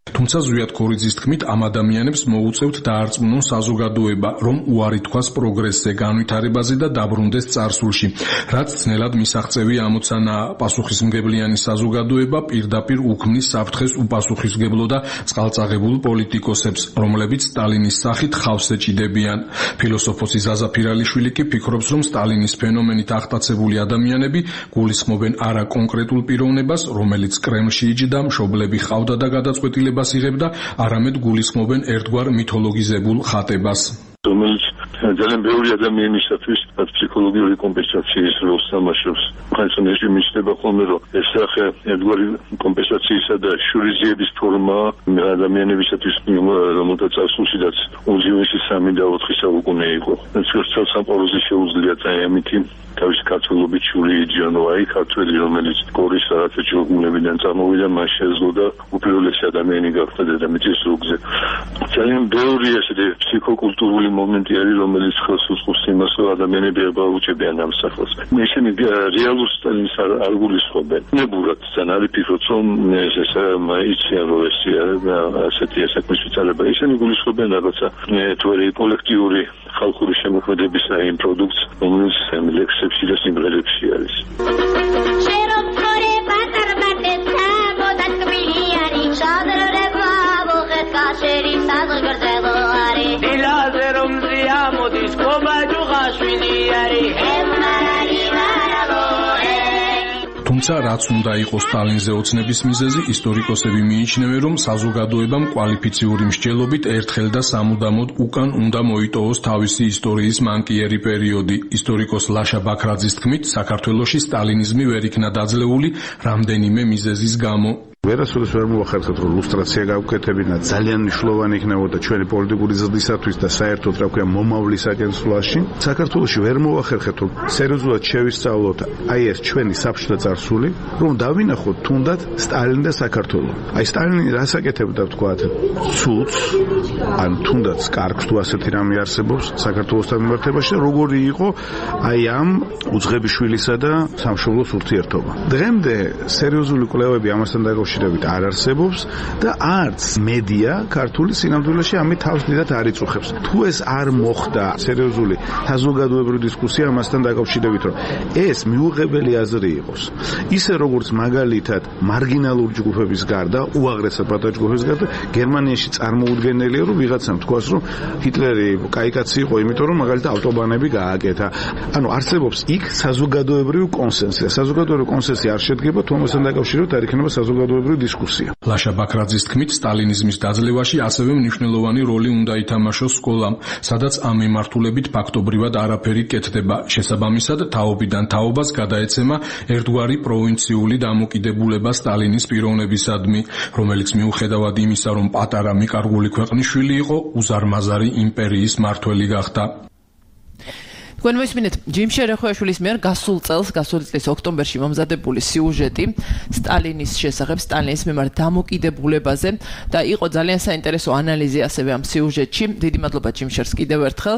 თუმცა ზვიად ქორიძის თქმით, ამ ადამიანებს მოუწევთ დაარწმუნონ საზოგადოება, რომ უარი თქვას პროგრესზე, განვითარებაზე და დაბრუნდეს წარსულში, რაც ძნელად მისაღწევი ამოცანა. პასუხისმგებლიანი საზოგადოება პირდაპირ უქმნის საფრთხეს უპასუხისმგებლო და წყალწაღებულ პოლიტიკოსებს, რომლებიც სტალინის სახით ხავს ეჭიდებიან. ფილოსოფოსი ზაზა ფირალიშვილი კი ფიქრობს, რომ სტალინის ფენომენით აღტაცებული ადამიანები გულისხმობენ არა კონკრეტულ პიროვნებას, რომელიც კრემლში იჯდა, მშობლები ჰყავდა და გადაწყვეტილებას იღებდა, არამედ გულისხმობენ ერთგვარ მითოლოგიზებულ ხატებას. რომელიც ძალიან ბევრი ადამიანისათვის ფსიქოლოგიური კომპენსაციის როლს თამაშობს. ხანსა რეჟიმი შეიძლება ხოლმე რომ ეს სახე ერთგვარი კომპენსაციისა და შურიზიების ფორმა ადამიანებისათვის რომელთა წარსულშიდაც უძიუესი სამი და ოთხი საუკუნე იყო. ცოტა სამყაროზე შეუძლია ამითი თავის ქართველობით შური იჯანო აი ქართველი რომელიც გორის რაღაცა ჯოგუნებიდან წამოვიდა მას შეძლო და უპირველესი ადამიანი გახდა დედამიწის ზურგზე. ძალიან ბევრი ესეთი ფსიქოკულტურული მომენტი არის რომელიც ხელს უწყობს იმას რომ ადამიანები აბაუჭებიან ამ სახელს. ისინი რეალურ სტაილს არ გულისხმობენ. ნებურად ძალიან არის ფიქრობ რომ ეს იციან რომ ეს ასეთი საქმის ვიცალება ისინი გულისხმობენ რაღაცა თვერი კოლექტიური ხალხური შემოქმედების იმ პროდუქტს რომელიც ლექსებში და სიმღერებში არის. თუმცა რაც უნდა იყოს სტალინზე ოცნების მიზეზი, ისტორიკოსები მიიჩნევენ, რომ საზოგადოებამ კვალიფიციური მსჯელობით ერთხელ და სამუდამოდ უკან უნდა მოიტოვოს თავისი ისტორიის მანკიერი პერიოდი. ისტორიკოს ლაშა ბაქრაძის თქმით, საქართველოში სტალინიზმი ვერ იქნა დაძლეული რამდენიმე მიზეზის გამო. ვერასოდეს ვერ მოახერხეთ რომ ლუსტრაცია გავკეთებინა ძალიან მნიშვნელოვანი იქნებოდა ჩვენი პოლიტიკური ზრდისათვის და საერთოდ რა ქვია მომავლის აგენსვლაში. საქართველოში ვერ მოახერხეთ რომ სერიოზულად შევისწავლოთ აი ეს ჩვენი საბჭოთა წარსული, რომ დავინახოთ თუნდაც სტალინი და საქართველო. აი სტალინი რას აკეთებდა ვთქვათ, ცუდს, ან თუნდაც კარგს თუ ასეთი რამე არსებობს საქართველოსთან მიმართებაში და როგორი იყო აი ამ უძღებიშვილისა და სამშობლოს ურთიერთობა. დღემდე სერიოზული კვლევები ამასთან დაკავშირებით არ არსებობს და არც მედია ქართული სინამდვილეში ამით თავს დიდად არ იწუხებს. თუ ეს არ მოხდა სერიოზული საზოგადოებრივი დისკუსია ამასთან დაკავშირებით, რომ ეს მიუღებელი აზრი იყოს, ისე როგორც მაგალითად მარგინალური ჯგუფების გარდა, უაღრესად პატარა ჯგუფების გარდა, გერმანიაში წარმოუდგენელია, რომ ვიღაცამ თქვას, რომ ჰიტლერი კაი კაცი იყო, იმიტომ რომ მაგალითად ავტობანები გააკეთა. ანუ არსებობს იქ საზოგადოებრივი კონსენსუსი. საზოგადოებრივი კონსენსუსი არ შედგება, თუ ამასთან დაკავშირებით არ იქნება საზოგადოებრივი დისკუსია. ლაშა ბაქრაძის თქმით, სტალინიზმის დაძლევაში ასევე მნიშვნელოვანი როლი უნდა ითამაშოს სკოლამ, სადაც ამ მიმართულებით ფაქტობრივად არაფერი კეთდება. შესაბამისად, თაობიდან თაობას გადაეცემა ერთგვარი პროვინციული დამოკიდებულება სტალინის პიროვნებისადმი, რომელიც მიუხედავად იმისა, რომ პატარა მიკარგული ქვეყნის შვილი იყო, უზარმაზარი იმპერიის მმართველი გახდა. თქვენ მოისმინეთ ჯიმ შერეხვეაშვილის მიერ გასულ წელს, გასული წლის ოქტომბერში მომზადებული სიუჟეტი სტალინის შესახებ, სტალინის მიმართ დამოკიდებულებაზე და იყო ძალიან საინტერესო ანალიზი ასევე ამ სიუჟეტში. დიდი მადლობა ჯიმ შერს კიდევ ერთხელ.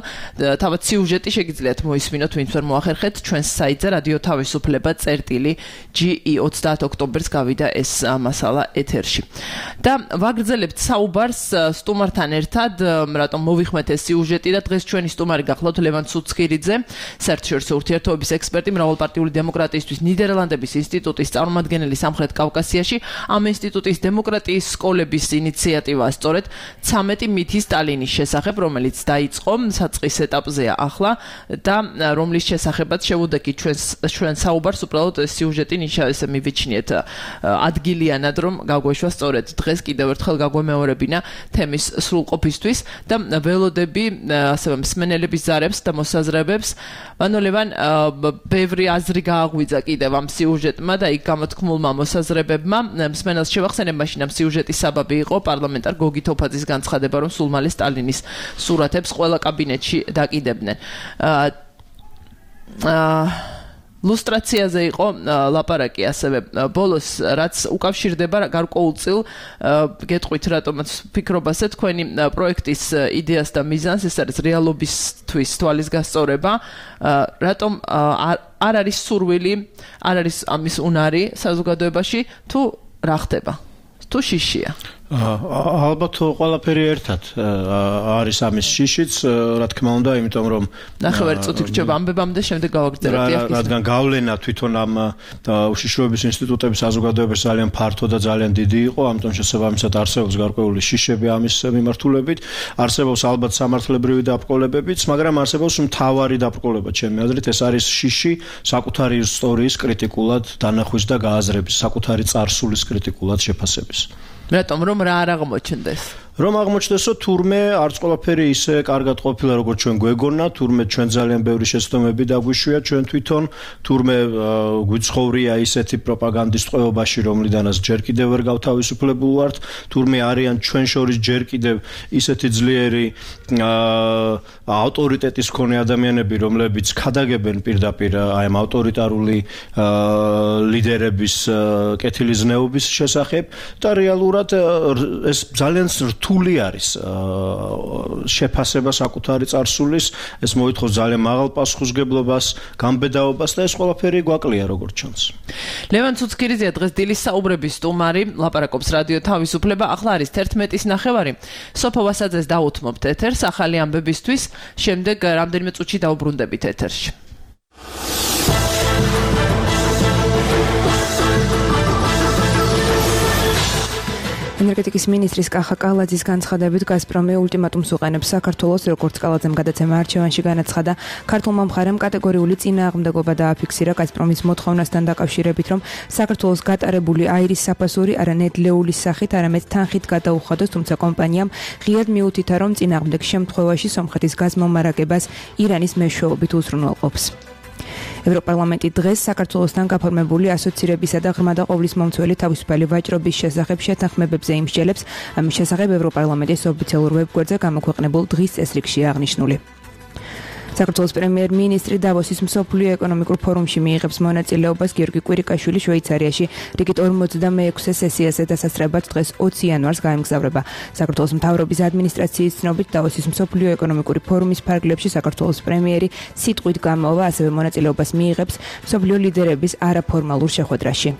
თავად სიუჟეტი შეგიძლიათ მოისმინოთ, ვინც ვერ მოახერხეთ, ჩვენს საიტზე რადიო თავისუფლება წერტილი ჯი ი ოცდაათ ოქტომბერს გავიდა ეს მასალა ეთერში. და ვაგრძელებთ საუბარს სტუმართან ერთად, რატომ მოვიხმეთ ეს სიუჟეტი და დღეს ჩვენი სტუმარი გახლავთ ლევან ცუცქირიძე, საერთაშორისო ურთიერთობების ექსპერტი, მრავალპარტიული დემოკრატიისთვის ნიდერლანდების ინსტიტუტის წარმომადგენელი სამხრეთ კავკასიაში. ამ ინსტიტუტის დემოკრატიის სკოლების ინიციატივაა სწორედ ცამეტი მითი სტალინის შესახებ, რომელიც დაიწყო საწყის ეტაპზეა ახლა და რომლის შესახებაც შევუდექით ჩვენს ჩვენ საუბარს, უბრალოდ სიუჟეტი ისე მივიჩნიეთ ადგილიანად, რომ გაგვეშვა სწორედ დღეს კიდევ ერთხელ გაგვემეორებინა თემის სრულყოფისთვის და ველოდები ასევე მსმენელების ზარებს და მოსაზრებებს. მანო ლევან, ბევრი აზრი გააღვიძა კიდევ ამ სიუჟეტმა და იქ გამოთქმულმა მოსაზრებებმა. მსმენელს შევახსენებ, მაშინ ამ სიუჟეტის საბაბი იყო პარლამენტარ გოგი თოფაძის განცხადება, რომ სულ მალე სტალინის სურათებს ყველა კაბინეტში დაკიდებდნენ. აა ლუსტრაციაზე იყო ლაპარაკი ასევე ბოლოს, რაც უკავშირდება გარკვეულწილ გეტყვით რატომაც ფიქრობაზე თქვენი პროექტის იდეას და მიზანს, ეს არის რეალობისთვის თვალის გასწორება, რატომ არ არის სურვილი, არ არის ამის უნარი საზოგადოებაში, თუ რა ხდება, თუ შიშია. ალბათ ყველაფერი ერთად არის ამის შიშიც, რა თქმა უნდა, იმიტომ რომ ნახევარი წუთი გრჩება ამბებამდე, შემდეგ გავაგრძელებთ. რადგან გავლენა თვითონ ამ უშიშროების ინსტიტუტების საზოგადოების ძალიან ფართო და ძალიან დიდი იყო, ამიტომ შესაბამისად არსებობს გარკვეული შიშები ამის მიმართულებით, არსებობს ალბათ სამართლებრივი დაბრკოლებებიც, მაგრამ არსებობს მთავარი დაბრკოლება, ჩემი აზრით, ეს არის შიში საკუთარი ისტორიის კრიტიკულად დანახვის და გააზრების, საკუთარი წარსულის კრიტიკულად შეფასების. რატომ რომ რა არ აღმოჩნდეს? რომ აღმოჩნდესო თურმე არც ყველაფერი ისე კარგად ყოფილა როგორც ჩვენ გვეგონა, თურმე ჩვენ ძალიან ბევრი შეცდომები დაგვიშვია ჩვენ თვითონ, თურმე გვიცხოვრია ისეთი პროპაგანდის ტყვეობაში, რომლიდანაც ჯერ კიდევ ვერ გავთავისუფლებულ ვართ, თურმე არიან ჩვენ შორის ჯერ კიდევ ისეთი ძლიერი ავტორიტეტის მქონე ადამიანები, რომლებიც ქადაგებენ პირდაპირ აი ამ ავტორიტარული ლიდერების კეთილიზნეობის შესახებ და რეალურად ეს ძალიან რთული არის შეფასება საკუთარი წარსულის, ეს მოითხოვს ძალიან მაღალ პასუხისმგებლობას, გამბედაობას და ეს ყველაფერი გვაკლია როგორც ჩანს. ლევან ცუცქირიძე დღეს დილის საუბრების სტუმარი, ლაპარაკობს რადიო თავისუფლება, ახლა არის თერთმეტის ნახევარი. სოფო ვასაძეს დაუთმობთ ეთერს ახალი ამბებისთვის, შემდეგ რამდენიმე წუთში დაუბრუნდებით ეთერში. ენერგეტიკის მინისტრის კახა კალაძის განცხადებით გაზპრომი ულტიმატუმს უყენებს საქართველოს, როგორც კალაძემ გადაცემა არჩევანში განაცხადა. ქართულმა მხარემ კატეგორიული წინააღმდეგობა დააფიქსირა გაზპრომის მოთხოვნასთან დაკავშირებით, რომ საქართველოს გატარებული აირის საფასური არა ნედლეულის სახით, არამედ თანხით გადაუხადოს, თუმცა კომპანიამ ღიად მიუთითა, რომ წინააღმდეგ შემთხვევაში სომხეთის გაზმომარაგებას ირანის მეშვეობით უზრუნველყოფს. ევროპარლამენტი დღეს საქართველოსთან გაფორმებული ასოცირებისა და ღრმა და ყოვლისმომცველი თავისუფალი ვაჭრობის შესახებ შეთანხმებებზე იმსჯელებს. ამის შესახებ ევროპარლამენტის ოფიციალურ ვებგვერდზე გამოქვეყნებულ დღის წესრიგში აღნიშნული. საქართველოს პრემიერ-მინისტრი დავოსის მსოფლიო ეკონომიკურ ფორუმში მიიღებს მონაწილეობას. გიორგი კვირიკაშვილი შვეიცარიაში რიგით ორმოცდამეექვსე სესიაზე დასასწრებად დღეს ოცი იანვარს გაემგზავრება. საქართველოს მთავრობის ადმინისტრაციის ცნობით დავოსის მსოფლიო ეკონომიკური ფორუმის ფარგლებში საქართველოს პრემიერი სიტყვით გამოვა, ასევე მონაწილეობას მიიღებს მსოფლიო ლიდერების არაფორმალურ შეხვედრაში.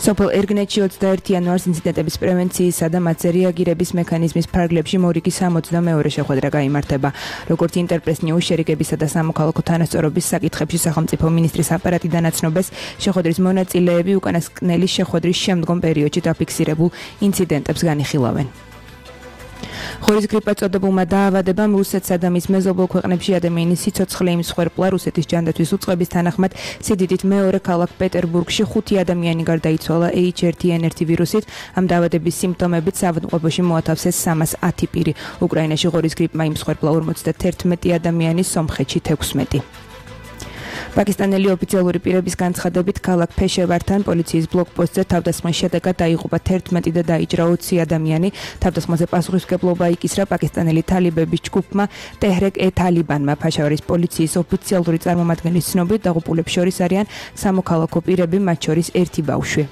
სოფელ ერგნეთში ოცდაერთი იანვარს ინციდენტების პრევენციისა და მათზე რეაგირების მექანიზმის ფარგლებში მორიგი სამოცდამეორე შეხვედრა გაიმართება. როგორც ინტერპრეს ნიუს შერიგებისა და სამოქალაქო თანასწორობის საკითხებში სახელმწიფო მინისტრის აპარატიდან აცნობეს, შეხვედრის მონაწილეები უკანასკნელი შეხვედრის შემდგომ პერიოდში დაფიქსირებულ ინციდენტებს განიხილავენ. ხორის გრიპა წოდებულმა დაავადებამ რუსეთსა და მის მეზობელ ქვეყნებში ადამიანის სიცოცხლე იმსხვერპლა. რუსეთის ჯანდაცვის უწყების თანახმად სიდიდით მეორე ქალაქ პეტერბურგში ხუთი ადამიანი გარდაიცვალა ეიჩ ერთი ენ ერთი ვირუსით. ამ დაავადების სიმპტომებით საავადმყოფოში მოათავსეს სამას ათი პირი. უკრაინაში ხორის გრიპმა იმსხვერპლა ორმოცდათერთმეტი ადამიანი, სომხეთში თექვსმეტი. პაკისტანელი ოფიციალური პირების განცხადებით ქალაქ ფეშევართან პოლიციის ბლოკპოსტზე თავდასხმის შედეგად დაიღუპა თერთმეტი და დაიჭრა ოცი ადამიანი. თავდასხმაზე პასუხისმგებლობა იკისრა პაკისტანელი თალიბების ჯგუფმა ტეჰრეკ-ე-თალიბანმა. ფაშავარის პოლიციის ოფიციალური წარმომადგენლის ცნობით დაღუპულებს შორის არიან სამოქალაქო პირები, მათ შორის ერთი ბავშვი.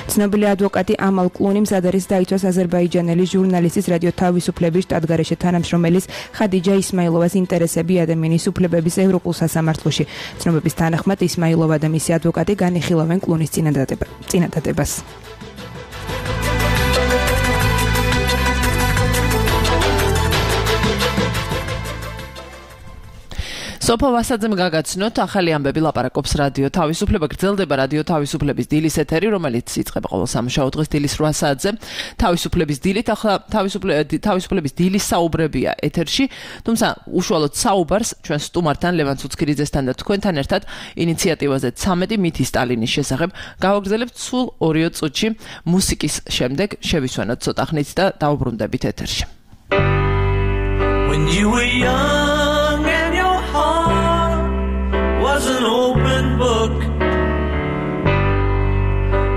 ცნობილი ადვოკატი ამალ კლუნი მზად არის დაიცვას აზერბაიჯანელი ჟურნალისტის რადიო თავისუფლების შტატგარეშე თანამშრომელის ხადიჯა ისმაილოვას ინტერესები ადამიანის უფლებების ევროპულ სასამართლოში. ცნობების თანახმად ისმაილოვა და მისი ადვოკატი განიხილავენ კლუნის წინადადებას. სოფო ვასაძემ გაგაცნოთ ახალი ამბები, ლაპარაკობს რადიო თავისუფლება. გრძელდება რადიო თავისუფლების დილის ეთერი, რომელიც იწყება ყოველ სამშაბათ დღეს დილის რვა საათზე. თავისუფლების დილით ახლა თავისუფლების დილის საუბრებია ეთერში, თუმცა უშუალოდ საუბარს ჩვენ სტუმართან ლევან ცუცქირიძესთან და თქვენთან ერთად ინიციატივაზე ცამეტი მითი სტალინის შესახებ გავაგრძელებთ სულ ორიო წუთში. მუსიკის შემდეგ შევისვენოთ ცოტა ხნით და დაუბრუნდებით ეთერში. When you were young and your heart was an open book,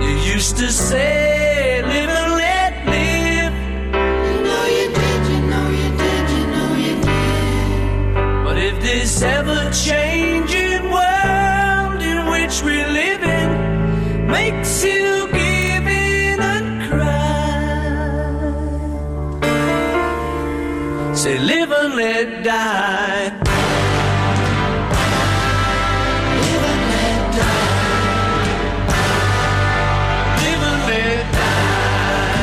you used to say, live and let live. You know you did, you know you did, you know you did. But if this ever-changing world in which we live in makes you give in and cry, say live and let die. Live and let die. Live and let die.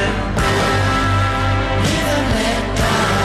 Live and let die.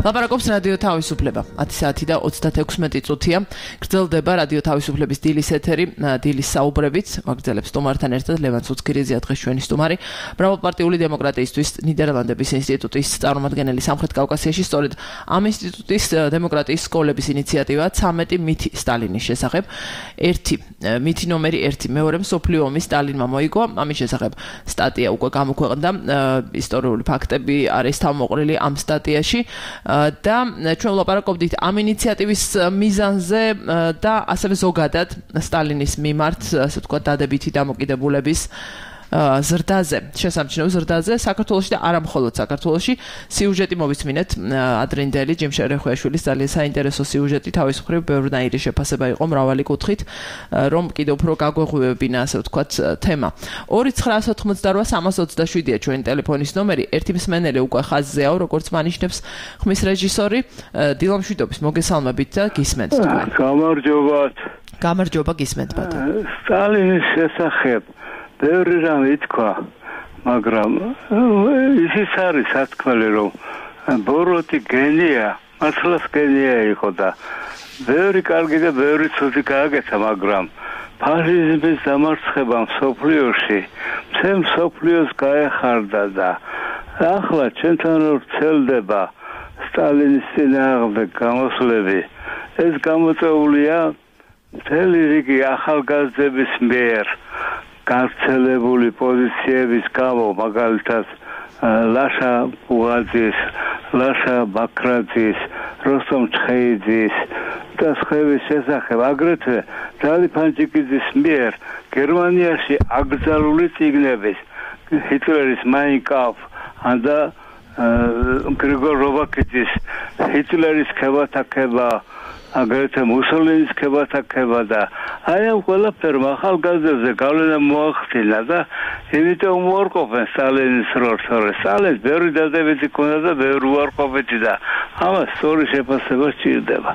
ლაპარაკობს რადიო თავისუფლება. ათი საათი და ოცდაექვსმეტი წუთია. გრძელდება რადიო თავისუფლების დილის ეთერი, დილის საუბრებით. ვაგრძელებს სტუმართან ერთად ლევან ცუცქირიძე დღეს ჩვენი სტუმარი. მრავალპარტიული დემოკრატიისთვის ნიდერლანდების ინსტიტუტის წარმომადგენელი სამხრეთ კავკასიაში, სწორედ ამ ინსტიტუტის დემოკრატიის სკოლების ინიციატივა ცამეტი მითი სტალინის შესახებ. ერთი მითი ნომერი ერთი მეორე მსოფლიო ომის სტალინმა მოიგო. ამის შესახებ სტატია უკვე გამოქვეყნდა. ისტორიული ფაქტები არის თავმოყრილი ამ სტატიაში და ჩვენ ვლაპარაკობდით ამ ინიციატივის მიზანზე და ასევე ზოგადად სტალინის მიმართ, ასე ვთქვათ, დადებითი დამოკიდებულების ზრდაზე, შესამჩნევ ზრდაზე საქართველოში და არა მხოლოდ საქართველოში. სიუჟეტი მოვისმინეთ ადრინდელი ჯიმ შერეხვეაშვილის ძალიან საინტერესო სიუჟეტი, თავის მხრივ ბევრნაირი შეფასება იყო მრავალი კუთხით, რომ კიდევ უფრო გაგვეღვივებინა, ასე ვთქვათ, თემა. ორი ცხრაასი ოცდაოთხ სამას ოცდაშვიდია ჩვენი ტელეფონის ნომერი. ერთი მსმენელი უკვე ხაზზეა, როგორც მანიშნებს ხმის რეჟისორი. დილამშვიდობის, მოგესალმებით და გისმენთ თქვენ. გამარჯობათ. გამარჯობა, გისმენთ ბატონო. სტალინის შესახებ ბევრი რამ ითქვა, მაგრამ ისიც არის სათქმელი, რომ ბოროტი გენია, მართლაც გენია იყო და ბევრი კარგი და ბევრი ცუდი გააკეთა, მაგრამ ფაშიზმის დამარცხება მსოფლიოში მთელ მსოფლიოს გაეხარდა და ახლა ჩვენთან რომ ვრცელდება სტალინის წინააღმდეგ გამოსვლები, ეს გამოწვეულია მთელი რიგი ახალგაზრდების მიერ გავრცელებული პოზიციების გამო, მაგალითად ლაშა ბუღაძის, ლაშა ბაქრაძის, როსტომ ჩხეიძის და სხვების შესახებ, აგრეთვე ძალი ფანჯიკიძის მიერ გერმანიაში აკრძალული წიგნების, ჰიტლერის Mein Kampf და გრიგორ რობაქიძის ჰიტლერის ქებათაქება, აგრეთვე მუსოლინის ქებათაქება და აი ამ ყველაფერმა ახალგაზრდებზე გავლენა მოახდინა და იმიტომ უარყოფენ სტალინის როლს. სტალინს ბევრი დადებითი ჰქონდა და ბევრი უარყოფითი და ამას სწორი შეფასება სჭირდება.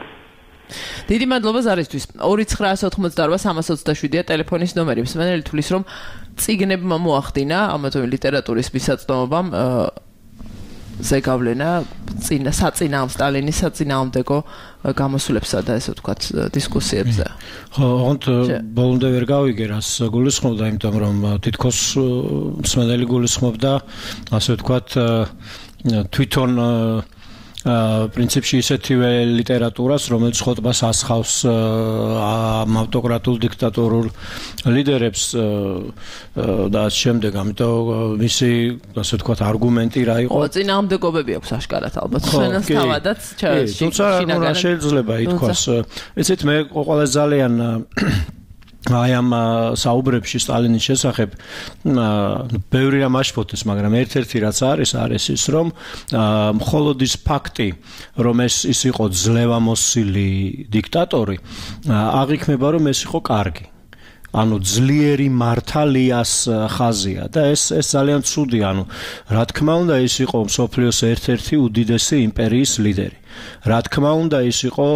დიდი მადლობა ზარისთვის. ორი ცხრაასი ოცდაოთხ სამას ოცდაშვიდია ტელეფონის ნომერი. მსმენელი თulis რომ წიგნებმა მოახდინა ამათო ლიტერატურის მისაწვდომობამ ზეგავლენა წინა საწინააღმ სტალინის საწინააღმდეგო გამოსვლებსა და ესე ვთქვათ დისკუსიებზე. ხო, ოღონდ ბოლომდე ვერ გავიგე რას გულისხმობდა, იმიტომ რომ თითქოს მსმენელი გულისხმობდა, ასე ვთქვათ, თვითონ პრინციპში ისეთივე ლიტერატურას, რომელიც ხოტბას ასხავს ამ ავტოკრატულ დიქტატორულ ლიდერებს და შემდეგ, ამიტომ მისი, ასე ვთქვათ, არგუმენტი რა იყო? ხო, წინააღმდეგობები აქვს აშკარად ალბათ. ჩვენს თავადაც თუმცა რა შეიძლება ითქვას. იცით, მე ყველა ძალიან აი ამ საუბრებში სტალინის შესახებ ბევრი რამ აშფოთეს, მაგრამ ერთ-ერთი რაც არის, არის ის, რომ მხოლოდ ის ფაქტი, რომ ეს ის იყო ძლევამოსილი დიქტატორი, აღიქმება, რომ ეს იყო კარგი. ანუ ძლიერი მართალიას ხაზია და ეს ეს ძალიან ცუდი, ანუ რა თქმა უნდა ის იყო მსოფლიოს ერთ-ერთი უდიდესი იმპერიის ლიდერი. რა თქმა უნდა ის იყო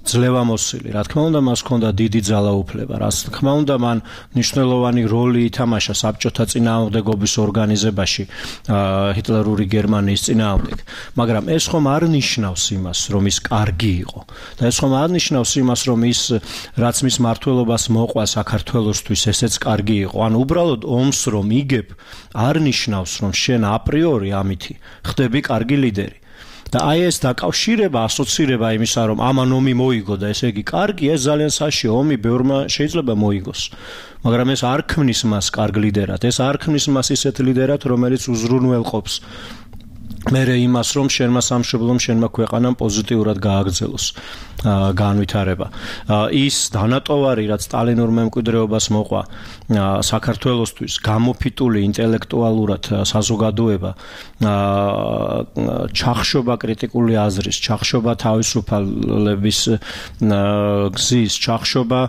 ძლევამოსილი, რა თქმა უნდა მას ჰქონდა დიდი ძალაუფლება, რა თქმა უნდა მან მნიშვნელოვანი როლი ითამაშა საბჭოთა წინააღმდეგობის ორგანიზებაში ჰიტლერური გერმანიის წინააღმდეგ, მაგრამ ეს ხომ არ ნიშნავს იმას, რომ ის კარგი იყო და ეს ხომ არ ნიშნავს იმას, რომ ის რაც მის მმართველობას მოყვა საქართველოსთვის ესეც კარგი იყო. ანუ უბრალოდ ომს რომ იგებ, არ ნიშნავს, რომ შენ აპრიორი ამითი ხდები კარგი ლიდერი. და აი ეს დაკავშირება, ასოცირება იმისა, რომ ამან ომი მოიგო და ესე იგი კარგი, ეს ძალიან საშიო ომი ბევრმა შეიძლება მოიგოს. მაგრამ ეს არ ქმნის მას კარგ ლიდერად, ეს არ ქმნის მას ისეთ ლიდერად, რომელიც უზრუნველყოფს მერე იმას, რომ შენმა სამშობლომ, შენმა ქვეყანამ პოზიტიურად გააგრძელოს განვითარება. ის დანატოვარი, რაც სტალინურ მემკვიდრეობას მოყვა საქართველოსთვის, გამოფიტული ინტელექტუალურად საზოგადოება, ჩახშობა კრიტიკული აზრის, ჩახშობა თავისუფლების გზის, ჩახშობა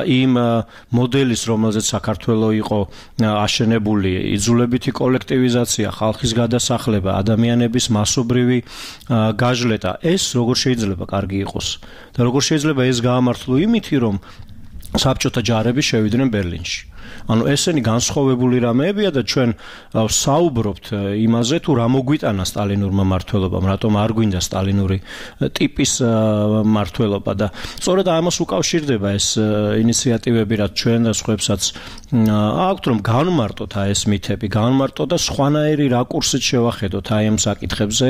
იმ მოდელის, რომელზეც საქართველო იყო აშენებული, იძულებითი კოლექტივიზაცია, ხალხის გადასახლება, ადამიანების მასობრივი გაჟლეტა. ეს როგორ შეიძლება კარგი იყოს? და როგორ შეიძლება ეს გაამართლო იმითი, რომ საბჭოთა ჯარები შევიდნენ ბერლინში. ანუ ესენი განსხვავებული რამეებია და ჩვენ საუბრობთ იმაზე თუ რა მოგვიტანა სტალინურმა მმართველობამ, რატომ არ გვინდა სტალინური ტიპის მმართველობა და სწორედ ამას უკავშირდება ეს ინიციატივები, რაც ჩვენ და სხვებსაც აქვთ, რომ განმარტოთ აი ეს მითები, განმარტოთ და სხვანაირი რაკურსით შევახედოთ აი ამ საკითხებზე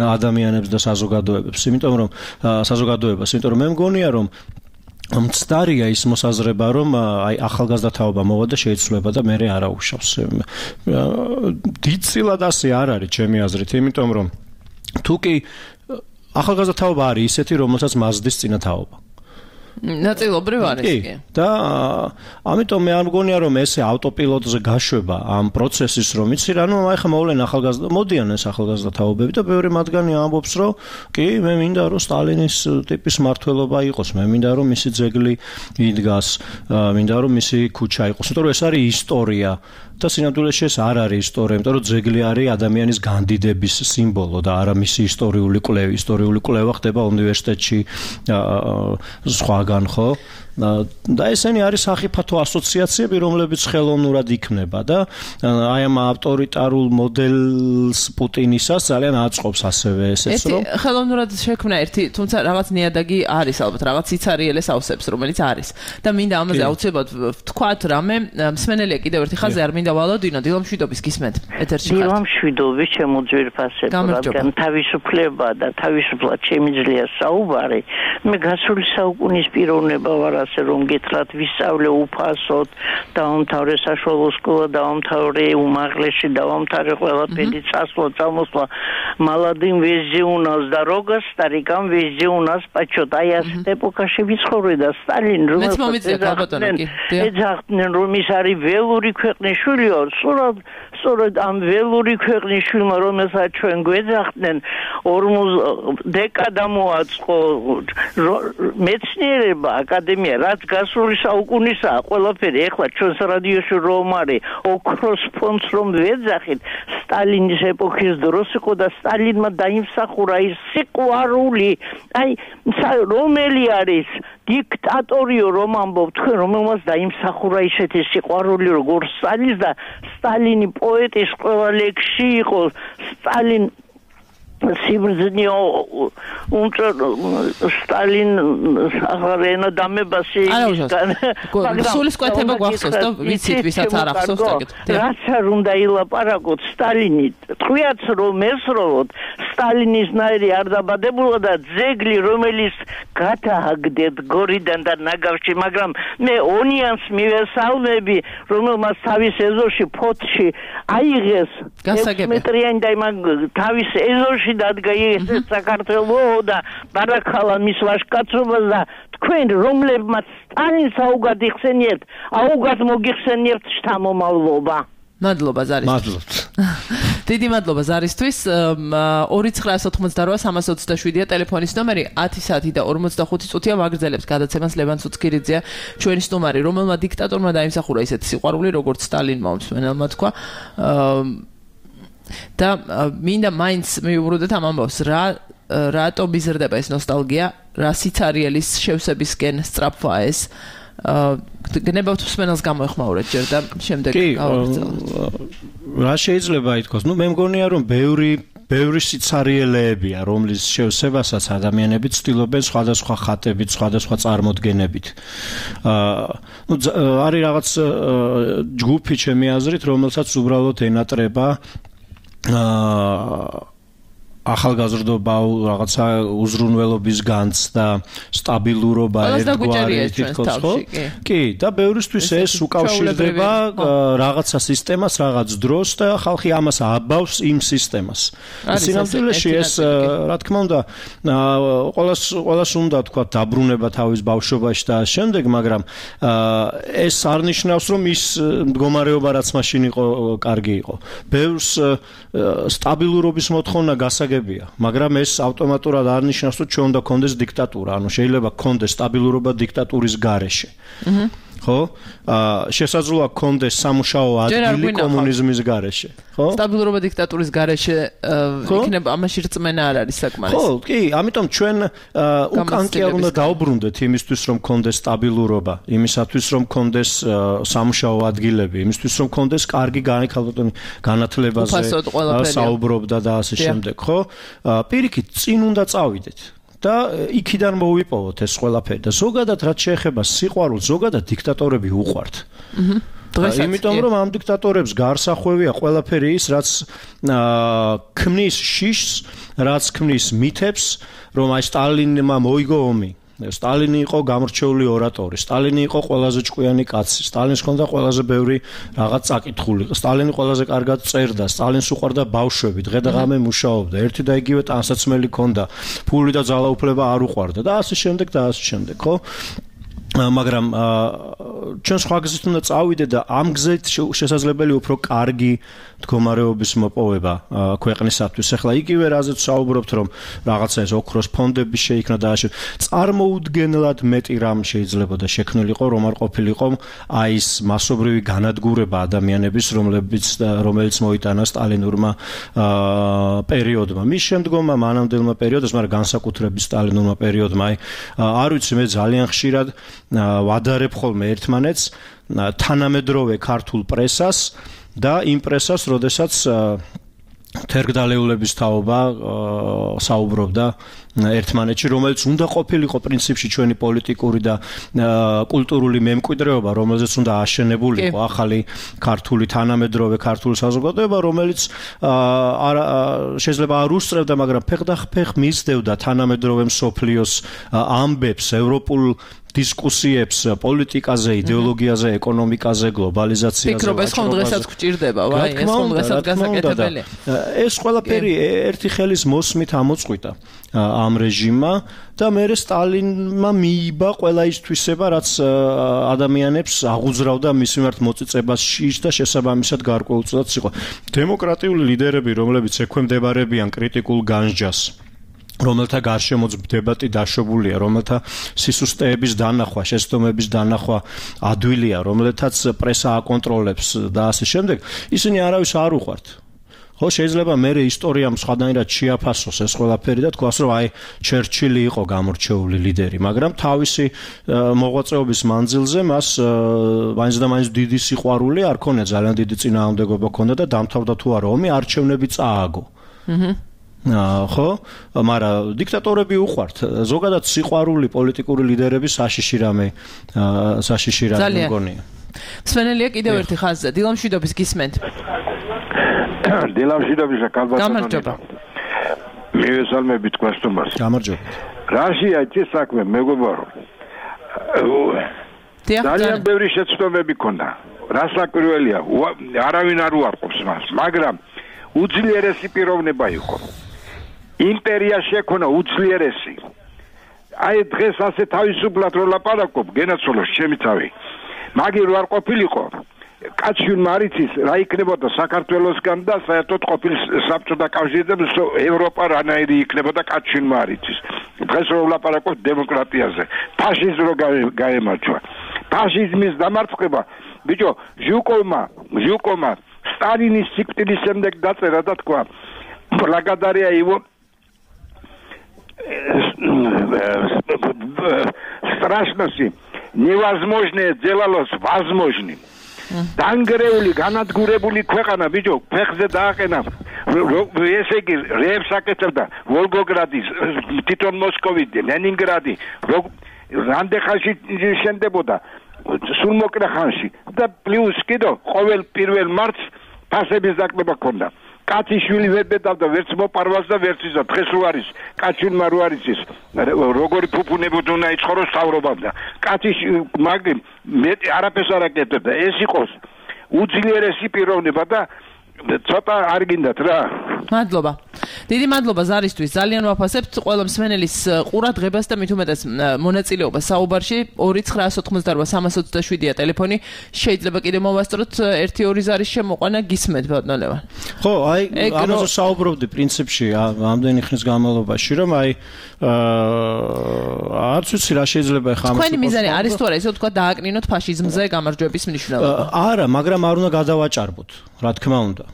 ადამიანებს და საზოგადოებებს, იმიტომ რომ საზოგადოებას, იმიტომ რომ მე მგონია რომ მცდარია ის მოსაზრება, რომ აი ახალგაზრდა თაობა მოვა და შეიცვლება და მე არ აუშავს. დიდწილად ასე არ არის ჩემი აზრით, იმიტომ რომ თუ კი ახალგაზრდა თაობა არის ისეთი, რომელსაც მაზდის წინა თაობა. ნაწილობრივ არის კი. და ამიტომ მე არ მგონია რომ ესე ავტოპილოტზე გაშვება ამ პროცესის რომ იცი რა, ნუ აი ხა მოვლენ ახალგაზრდა, მოდიან ეს ახალგაზრდა თაობები და ბევრი მათგანი ამბობს რომ კი მე მინდა რომ სტალინის ტიპის მმართველობა იყოს, მე მინდა რომ მისი ძეგლი იდგას, მინდა რომ მისი ქუჩა იყოს, იმიტომ რომ ეს არის ისტორია და სინამდვილეში ეს არ არის ისტორია, იმიტომ რომ ძეგლი არის ადამიანის განდიდების სიმბოლო და არა მისი ისტორიული კვლევა. ისტორიული კვლევა ხდება უნივერსიტეტში სხვაგან, ხო? და ესენი არის სახიფათო ასოციაციები, რომლებიც ხელოვნურად იქმნება და აი ამ ავტორიტარულ მოდელს პუტინისას ძალიან აწყობს ასევე ესეც რომ ხელოვნურად შექმნა ერთი, თუმცა რაღაც ნიადაგი არის ალბათ, რაღაც იცარიელეს ავსებს, რომელიც არის. და მინდა ამაზე აუცილებლად ვთქვათ რამე, მსმენელია კიდევ ერთი ხაზი, არ მინდა ვალოდინო, დილამშვიდობის გისმენთ ეთერში ხართ. დილამშვიდობის ჩემო ძვირფასებო, რადგან თავისუფლება და თავისუფლად შემიძლია საუბარი, მე გასული საუკუნის პიროვნება ვარ, ასე რომ გითხრათ ვისწავლე უფასოდ, დავამთავრე საშუალო სკოლა, დავამთავრე უმაღლესი, დავამთავრე ყველაფერი, წასვლა, წამოსვლა, молодым везде у нас дорога, старикам везде у нас почет. აი ასეთ ეპოქაში ვიცხოვრე და სტალინ რომელსაც ეძახდნენ, რომ ის არის ველური ქვეყნის შვილია, სწორად სწორედ ამ ველური ქვეყნის შვილმა, რომელსაც ჩვენ გვეძახდნენ, ორმოც დეკადა მოაწყო მეცნიერება, აკადემია, რაც გასული საუკუნისაა, ყველაფერი ეხლა ჩვენს რადიოში რომ არის ოქროს ფონდს რომ ვეძახით, სტალინის ეპოქის დროს იყო და სტალინმა დაიმსახურა ის სიყვარული, აი რომელი არის დიქტატორიო რომ ამბობ თქვენ, რომელმაც დაიმსახურა ისეთი სიყვარული როგორც სტალინის და სტალინი პოეტის ყველა ლექსში იყო სტალინ სიბრძნეო უნდა სტალინ აღარენა დამებასი სულისკვეთება გვახსოვს და ვიცით ვისაც არ ახსოვს დაგეთ რაც არ უნდა ილაპარაკოთ სტალინი თქვიაც რომ ესროლოთ სტალინის ნაირი არ დაბადებულა და ძეგლი რომელიც გადააგდეთ გორიდან და ნაგავში, მაგრამ მე ონიანს მივესალმები, რომელმაც თავის ეზოში ფოთში აიღეს მეტრიანი და იმან თავის ეზოში დადგა ეს საქართველო და ბარაქალა მის ვაჟკაცობას და თქვენ რომლებმაც სტალინს აუგად იხსენიებთ, აუგად მოგიხსენიებთ შთამომავლობა. მადლობა ზარის. მადლობთ. დიდი მადლობა ზარისთვის. ორი ცხრაას ოთხმოცდარვა სამას ოცდაშვიდია ტელეფონის ნომერი, ათი საათი და ორმოცდახუთი წუთია მაგრძელებს გადაცემას ლევან ცუცქირიძეა ჩვენი სტუმარი, რომელმა დიქტატორმა დაიმსახურა ისეთი სიყვარული, როგორც სტალინმა მსმენელმა თქვა. და მინდა მაინც მივუბრუნდეთ ამ ამბავს, რა რატო მიზრდება ეს ნოსტალგია, რა სიცარიელის შევსებისკენ სწრაფვა ეს გნებავთ მსმენელს გამოეხმაურეთ ჯერ და შემდეგ გავაგრძელოთ. რა შეიძლება ითქვას? ნუ მე მგონია რომ ბევრი ბევრი სიცარიელეებია, რომლის შევსებასაც ადამიანები ცდილობენ სხვადასხვა ხატებით, სხვადასხვა წარმოდგენებით. აა ნუ არის რაღაც ჯგუფი ჩემი აზრით, რომელსაც უბრალოდ ენატრება აა ახალგაზრდობა, რაღაცა უზრუნველობის განცდა, სტაბილურობა ერთგვარი თითქოს ხო? კი, და ბევრისთვის ეს უკავშირდება რაღაცა სისტემას, რაღაც დროს და ხალხი ამას აბავს იმ სისტემას. სინამდვილეში ეს რა თქმა უნდა ყოველას ყოველას უნდა თქვა დაბრუნება თავის ბავშვობაში და შემდეგ, მაგრამ ეს არ ნიშნავს რომ ის მდგომარეობა რაც მაშინ იყო კარგი იყო. ბევრს სტაბილურობის მოთხოვნა გასაგებია გასაგებია, მაგრამ ეს ავტომატურად არ ნიშნავს, რომ ჩვენ უნდა გქონდეს დიქტატურა, ანუ შეიძლება გქონდეს სტაბილურობა დიქტატურის გარეშე. აჰა. ხო? აა შესაძლოა გქონდეს სამუშაო ადგილი კომუნიზმის გარეშე, ხო? სტაბილურობა დიქტატურის გარეშე იქნება ამაში რწმენა არ არის საკმარის. ხო, კი, ამიტომ ჩვენ უკან კი არ უნდა დაუბრუნდეთ იმისთვის, რომ გქონდეს სტაბილურობა, იმისათვის, რომ გქონდეს სამუშაო ადგილები, იმისთვის, რომ გქონდეს კარგი განხალხებული განათლებაზე საუბრობდა და ასე შემდეგ, ხო? პირიქით, წინ უნდა წავიდეთ. და იქიდან მოვიპოვოთ ეს ყველაფერი და ზოგადად რაც შეეხება სიყვარულს, ზოგადად დიქტატორები უყვართ. აჰა. იმიტომ რომ ამ დიქტატორებს გარსახვევია ყველაფერი ის, რაც ქმნის შიშს, რაც ქმნის მითებს, რომ აი სტალინმა მოიგო ომი. სტალინი იყო გამორჩეული ორატორი, სტალინი იყო ყველაზე ჭკვიანი კაცი, სტალინს ჰქონდა ყველაზე ბევრი რაღაც წაკითხული, სტალინი ყველაზე კარგად წერდა, სტალინს უყვარდა ბავშვები, დღე და ღამე მუშაობდა, ერთი და იგივე ტანსაცმელი ჰქონდა, ფული და ძალაუფლება არ უყვარდა და ასე შემდეგ და ასე შემდეგ, ხო? მაგრამ ჩვენ სხვა გზით უნდა წავიდეთ და ამ გზით შესაძლებელი უფრო კარგი მდგომარეობის მოპოვება ქვეყნისათვის. ახლა იგივე რაზეც საუბრობთ, რომ რაღაცა ეს ოქროს ფონდები შეიქმნა და ასე წარმოუდგენლად მეტი რამ შეიძლება და შექმნილიყო, რომ არ ყოფილიყო აი ეს მასობრივი განადგურება ადამიანების, რომლებიც რომელიც მოიტანა სტალინურმა პერიოდმა. მის შემდგომმა მანამდელმა პერიოდს, მაგრამ განსაკუთრებით სტალინურმა პერიოდმა, აი არ ვიცი, მე ძალიან ხშირად ვადარებ ხოლმე ერთმანეთს თანამედროვე ქართულ პრესას და იმ პრესას, როდესაც თერგდალეულების თაობა საუბრობდა ერთმანეთში, რომელიც უნდა ყოფილიყო პრინციპში ჩვენი პოლიტიკური და კულტურული მემკვიდრეობა, რომელზეც უნდა აშენებულიყო ახალი ქართული თანამედროვე ქართული საზოგადოება, რომელიც შეიძლება არ უსწრებდა, მაგრამ ფეხდახფეხ მისდევდა თანამედროვე მსოფლიოს ამბებს, ევროპულ დისკუსიებს პოლიტიკაზე, იდეოლოგიაზე, ეკონომიკაზე, გლობალიზაციაზე. ფიქრობ ეს ხომ დღესაც გვჭირდება, ვაი, ეს ხომ დღესაც გასაკეთებელია. ეს ყველაფერი ერთი ხელის მოსმით ამოწყვიტა ამ რეჟიმმა და მერე სტალინმა მიიბა ყველა ის თვისება, რაც ადამიანებს აღუძრავდა მის მიმართ მოწიწებას შიშს და შესაბამისად გარკვეულწილად იყო. დემოკრატიული ლიდერები, რომლებიც ექვემდებარებიან კრიტიკულ განსჯას, რომელთა გარშემოც დებატი დაშვებულია, რომელთა სისუსტეების დანახვა, შეცდომების დანახვა ადვილია, რომელთაც პრესა აკონტროლებს და ასე შემდეგ, ისინი არავის არ უყვართ. ხო, შეიძლება მერე ისტორიამ სხვადასხვანაირად შეაფასოს ეს ყველაფერი და თქვას, რომ აი ჩერჩილი იყო გამორჩეული ლიდერი, მაგრამ თავისი მოღვაწეობის მანძილზე მას მაინც და მაინც დიდი სიყვარული არ ქონია, ძალიან დიდი წინააღმდეგობა ქონდა და დამთავრდა თუ არა ომი, არჩევნები წააგო. აჰა. ხო, მაგრამ დიქტატორები უყვართ. ზოგადად სიყვარული პოლიტიკური ლიდერების საშიში რამე, საშიში რამე მგონია. სვენელია კიდევ ერთი ხაზზე. დილამშვიდობის გისმენთ. დილამშვიდობის კალბატონი. გამარჯობა. მივესალმებით გვასტუმარს. გამარჯობა. რაშია ეს საქმე, მეგობარო. ძალიან ბევრი შეცდომები ქონდა. რასაკვირველია, არავინ არ უარყოფს მას, მაგრამ უძლიერესი პიროვნება იყო. იმპერია შექონა უძლიერესი. აი დღეს ასე თავისუფლად რო ლაპარაკობ, გენაცვალოს ჩემი თავი. მაგი რო არ ყოფილიყო, კაცშვილმა არ იცის რა იქნებოდა საქართველოსგან და საერთოდ ყოფილ საბჭოთა კავშირზე ევროპა რანაირი იქნებოდა კაცშვილმა არ იცის. დღეს რო ლაპარაკობ დემოკრატიაზე, ფაშიზმს რო გაემარჯვა. ფაშიზმის დამარცხება, ბიჭო, ჟუკოვმა, ჟუკოვმა სტალინის სიკვდილის შემდეგ დაწერა და თქვა, благодаря его страшности невозможное делалось возможным. დანგრეული, განადგურებული ქვეყანა, ბიჭო, ფეხზე დააყენა. ესე იგი, რეებს აკეთებდა ვოლგოგრადის, თვითონ მოსკოვი, ლენინგრადი, რამდენხანში შენდებოდა სულ მოკლე ხანში და პლუს კიდო ყოველ პირველ მარტს ფასების დაკლება ქონდა. კაციშვილი ვერ ბედავდა ვერც მოპარვას და ვერც ისა დღეს რო არის კაცშვილმა რო არის ის როგორი ფუფუნებოდ უნდა იცხოვროს თავრობამდე. კაცის მაგ მეტი არაფერს არ აკეთებდა. ეს იყოს უძლიერესი პიროვნება და ცოტა არ გინდათ რა. მადლობა. დიდი მადლობა ზარისთვის. ძალიან ვაფასებთ ყველა მსმენელის ყურადღებას და მით უმეტეს მონაწილეობას საუბარში. ორი ცხრაას ოთხმოცდაორვა სამას ოცდაშვიდია ტელეფონი. შეიძლება კიდევ მოვასწროთ ერთი ორი ზარის შემოყვანა გისმენთ ბატონო ლევან. ხო, აი ამაზე საუბრობდი პრინციპში ამდენი ხნის განმავლობაში, რომ აი აა არც ვიცი რა შეიძლება ხა ამას. თქვენი მიზანი არის თუ არა ისე ვთქვა დააკნინოთ ფაშიზმზე გამარჯვების მნიშვნელობა? არა, მაგრამ არ უნდა გადავაჭარბოთ, რა თქმა უნდა.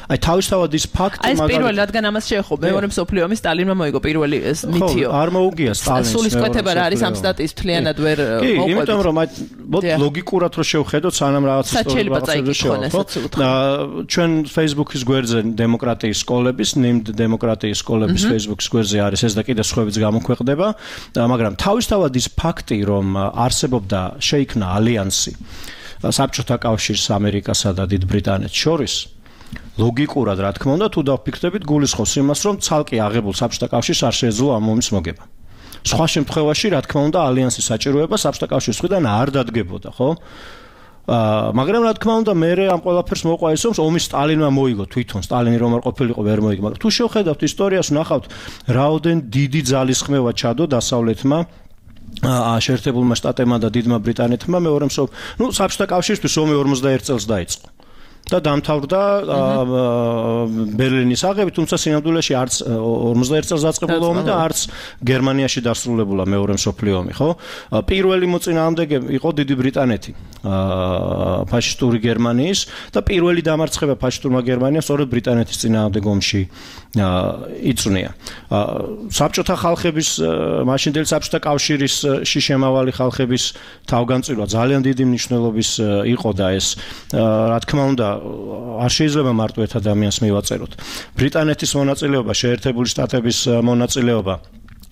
აი თავისთავად ის ფაქტი მაგალითად აი პირველი რადგან ამას შეეხო, მეორე მსოფლიო ომის სტალინმა მოიგო პირველი ეს მითიო. არ მოუგია სტალინს. სულისკვეთება რა არის ამ სტატიის მთლიანად ვერ მოყვებით. კი, იმიტომ რომ აი ლოგიკურად რო შევხედოთ, სანამ რაღაც ისტორიულ შევხედოთ. ჩვენ Facebook-ის გვერდზე დემოკრატიის სკოლების, ნიმდ დემოკრატიის სკოლების Facebook-ის გვერდზე არის ეს და კიდე სხვაებიც გამოქვეყნდება, მაგრამ თავისთავად ის ფაქტი, რომ არსებობდა შეიქმნა ალიანსი საბჭოთა კავშირს, ამერიკასა და დიდ ბრიტანეთს შორის, ლოგიკურად რა თქმა უნდა, თუ დავფიქრდებით, გულისხმობს იმას, რომ ცალკე აღებულ საბჭოთა კავშირს არ შეეძლო ამ ომის მოგება. სხვა შემთხვევაში, რა თქმა უნდა, ალიანსის საჭიროება საბჭოთა კავშირის მხრიდან არ დადგებოდა, ხო? აა მაგრამ რა თქმა უნდა მე ამ ყველაფერს მოყვა ის რომ ომის სტალინმა მოიგო თვითონ სტალინი რომ არ ყოფილიყო ვერ მოიგო მაგრამ თუ შევხედავთ ისტორიას ვნახავთ რაოდენ დიდი ძალისხმევა ჩადო დასავლეთმა აა შეერთებულმა შტატებმა და დიდმა ბრიტანეთმა მეორე მსოფლიო ნუ საბჭოთა კავშირისთვის ომი ორმოცდაერთ წელს დაიწყო და დამთავრდა ბერლინის აღებით, თუმცა სინამდვილეში არც ორმოცდაერთ წელს დაწყებულა ომი და არც გერმანიაში დასრულებულა მეორე მსოფლიო ომი, ხო? პირველი მოწინააღმდეგე იყო დიდი ბრიტანეთი, ფაშისტური გერმანიის და პირველი დამარცხება ფაშისტურმა გერმანიამ სწორედ ბრიტანეთის წინააღმდეგ ომში იწვნია. საბჭოთა ხალხების, მაშინდელი საბჭოთა კავშირის შიშემავალი ხალხების თავგანწირვა ძალიან დიდი მნიშვნელობის იყო და ეს რა თქმა უნდა არ შეიძლება მარტო ერთ ადამიანს მივაწეროთ. ბრიტანეთის მონაწილეობა, შეერთებული შტატების მონაწილეობა,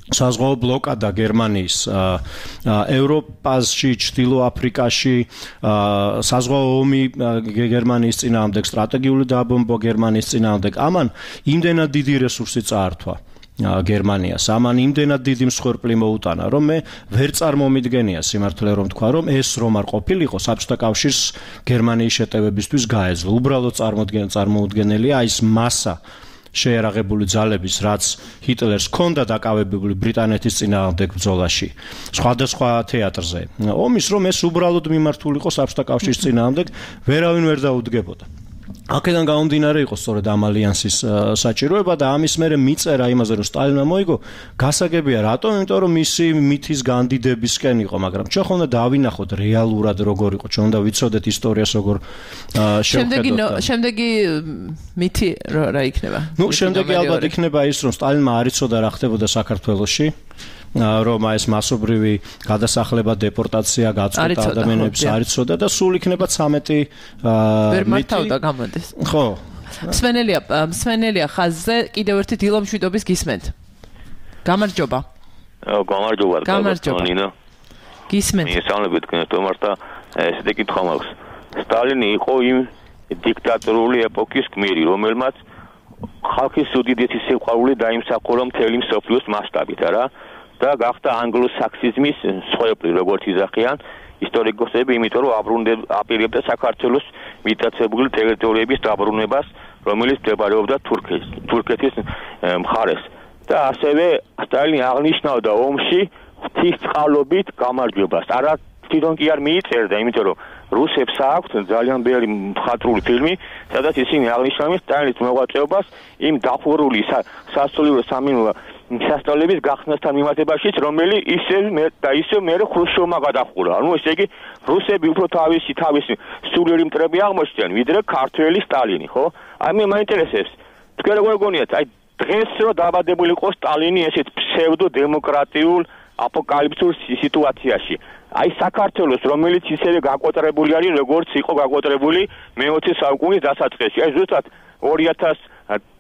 საზღვაო ბლოკადა გერმანიის, ევროპაში, ჩრდილო აფრიკაში, საზღვაო ომი გერმანიის წინააღმდეგ, სტრატეგიული დაბომბვა გერმანიის წინააღმდეგ, ამან იმდენად დიდი რესურსი წაართვა. გერმანიას ამან იმდენად დიდი მსხვერპლი მოუტანა რომ მე ვერ წარმომიდგენია სიმართლე რომ თქვა რომ ეს რომ არ ყოფილიყო საბჭოთა კავშირს გერმანიის შეტევებისთვის გაეძლო უბრალოდ წარმოუდგენელია ის მასა შეერაღებული ძალების რაც ჰიტლერს ჰქონდა დაკავებული ბრიტანეთის წინააღმდეგ ბრძოლაში სხვადასხვა თეატრზე ომის რომ ეს უბრალოდ მიმართულიყო საბჭოთა კავშირის წინააღმდეგ ვერავინ ვერ დაუდგებოდა აქედან გამომდინარე იყო სწორედ ამ ალიანსის საჭიროება და ამის მერე მიწერა იმაზე რომ სტალინმა მოიგო გასაგებია რატომ იმიტომ რომ მისი მითის განდიდებისკენ იყო მაგრამ ჩვენ ხომ უნდა დავინახოთ რეალურად როგორ იყო ჩვენ უნდა ვიცოდეთ ისტორიას როგორ შევხედოთ შემდეგი მითი რა იქნება ნუ შემდეგი ალბათ იქნება ის რომ სტალინმა არ იცოდა რა ხდებოდა საქართველოში რომ ეს მასობრივი გადასახლება, დეპორტაცია, გაწყვეტა ადამიანებს არ იცოდა და სულ იქნება ცამეტი ვერ მართავდა გამოდის. ხო. მსმენელია, მსმენელია ხაზზე კიდევ ერთი დილომშვიდობის გისმენთ. გამარჯობა. გამარჯობა. გამარჯობა. გისმენთ. მისამლებით თომართა ესეთი კითხვა მაქვს. სტალინი იყო იმ დიქტატორული ეპოქის გმირი, რომელმაც ხალხის უდიდესი სიყვარული დაიმსახურა მთელი მსოფლიოს მასშტაბით, არა? და გახდა ანგლო-საქსიზმის მსხვერპლი როგორც იზახიან ისტორიკოსები, იმიტომ რომ აპირებდა საქართველოს მიტაცებული ტერიტორიების დაბრუნებას, რომელიც მდებარეობდა თურქეთის მხარეს. და ასევე სტალინი აღნიშნავდა ომში ღვთისწყალობით გამარჯვებას. არა თვითონ კი არ მიიწერდა, იმიტომ რომ რუსებს აქვთ ძალიან ბევრი მხატვრული ფილმი, სადაც ისინი აღნიშნავენ სტალინის მოღვაწეობას იმ დახურული სასულიერო სამინულო სასწავლების გახსნასთან მიმართებაშიც, რომელიც ისევ და ისევ მერე ხრუშჩოვმა გადახურა. ანუ ესე იგი, რუსები უფრო თავისი თავისი სულიერი მტრები აღმოჩნდნენ, ვიდრე ქართველი სტალინი, ხო? აი მე მაინტერესებს, თქვენ როგორ გონიათ, აი დღეს რო დაბადებული იყო სტალინი ესეთ ფსევდო-დემოკრატიულ აპოკალიფსურ სიტუაციაში. აი საქართველოს, რომელიც ისევე გაკვეტრებული არის, როგორც იყო გაკვეტრებული მეოცე საუკუნის დასაწყისში. აი ზუსტად ორი ათას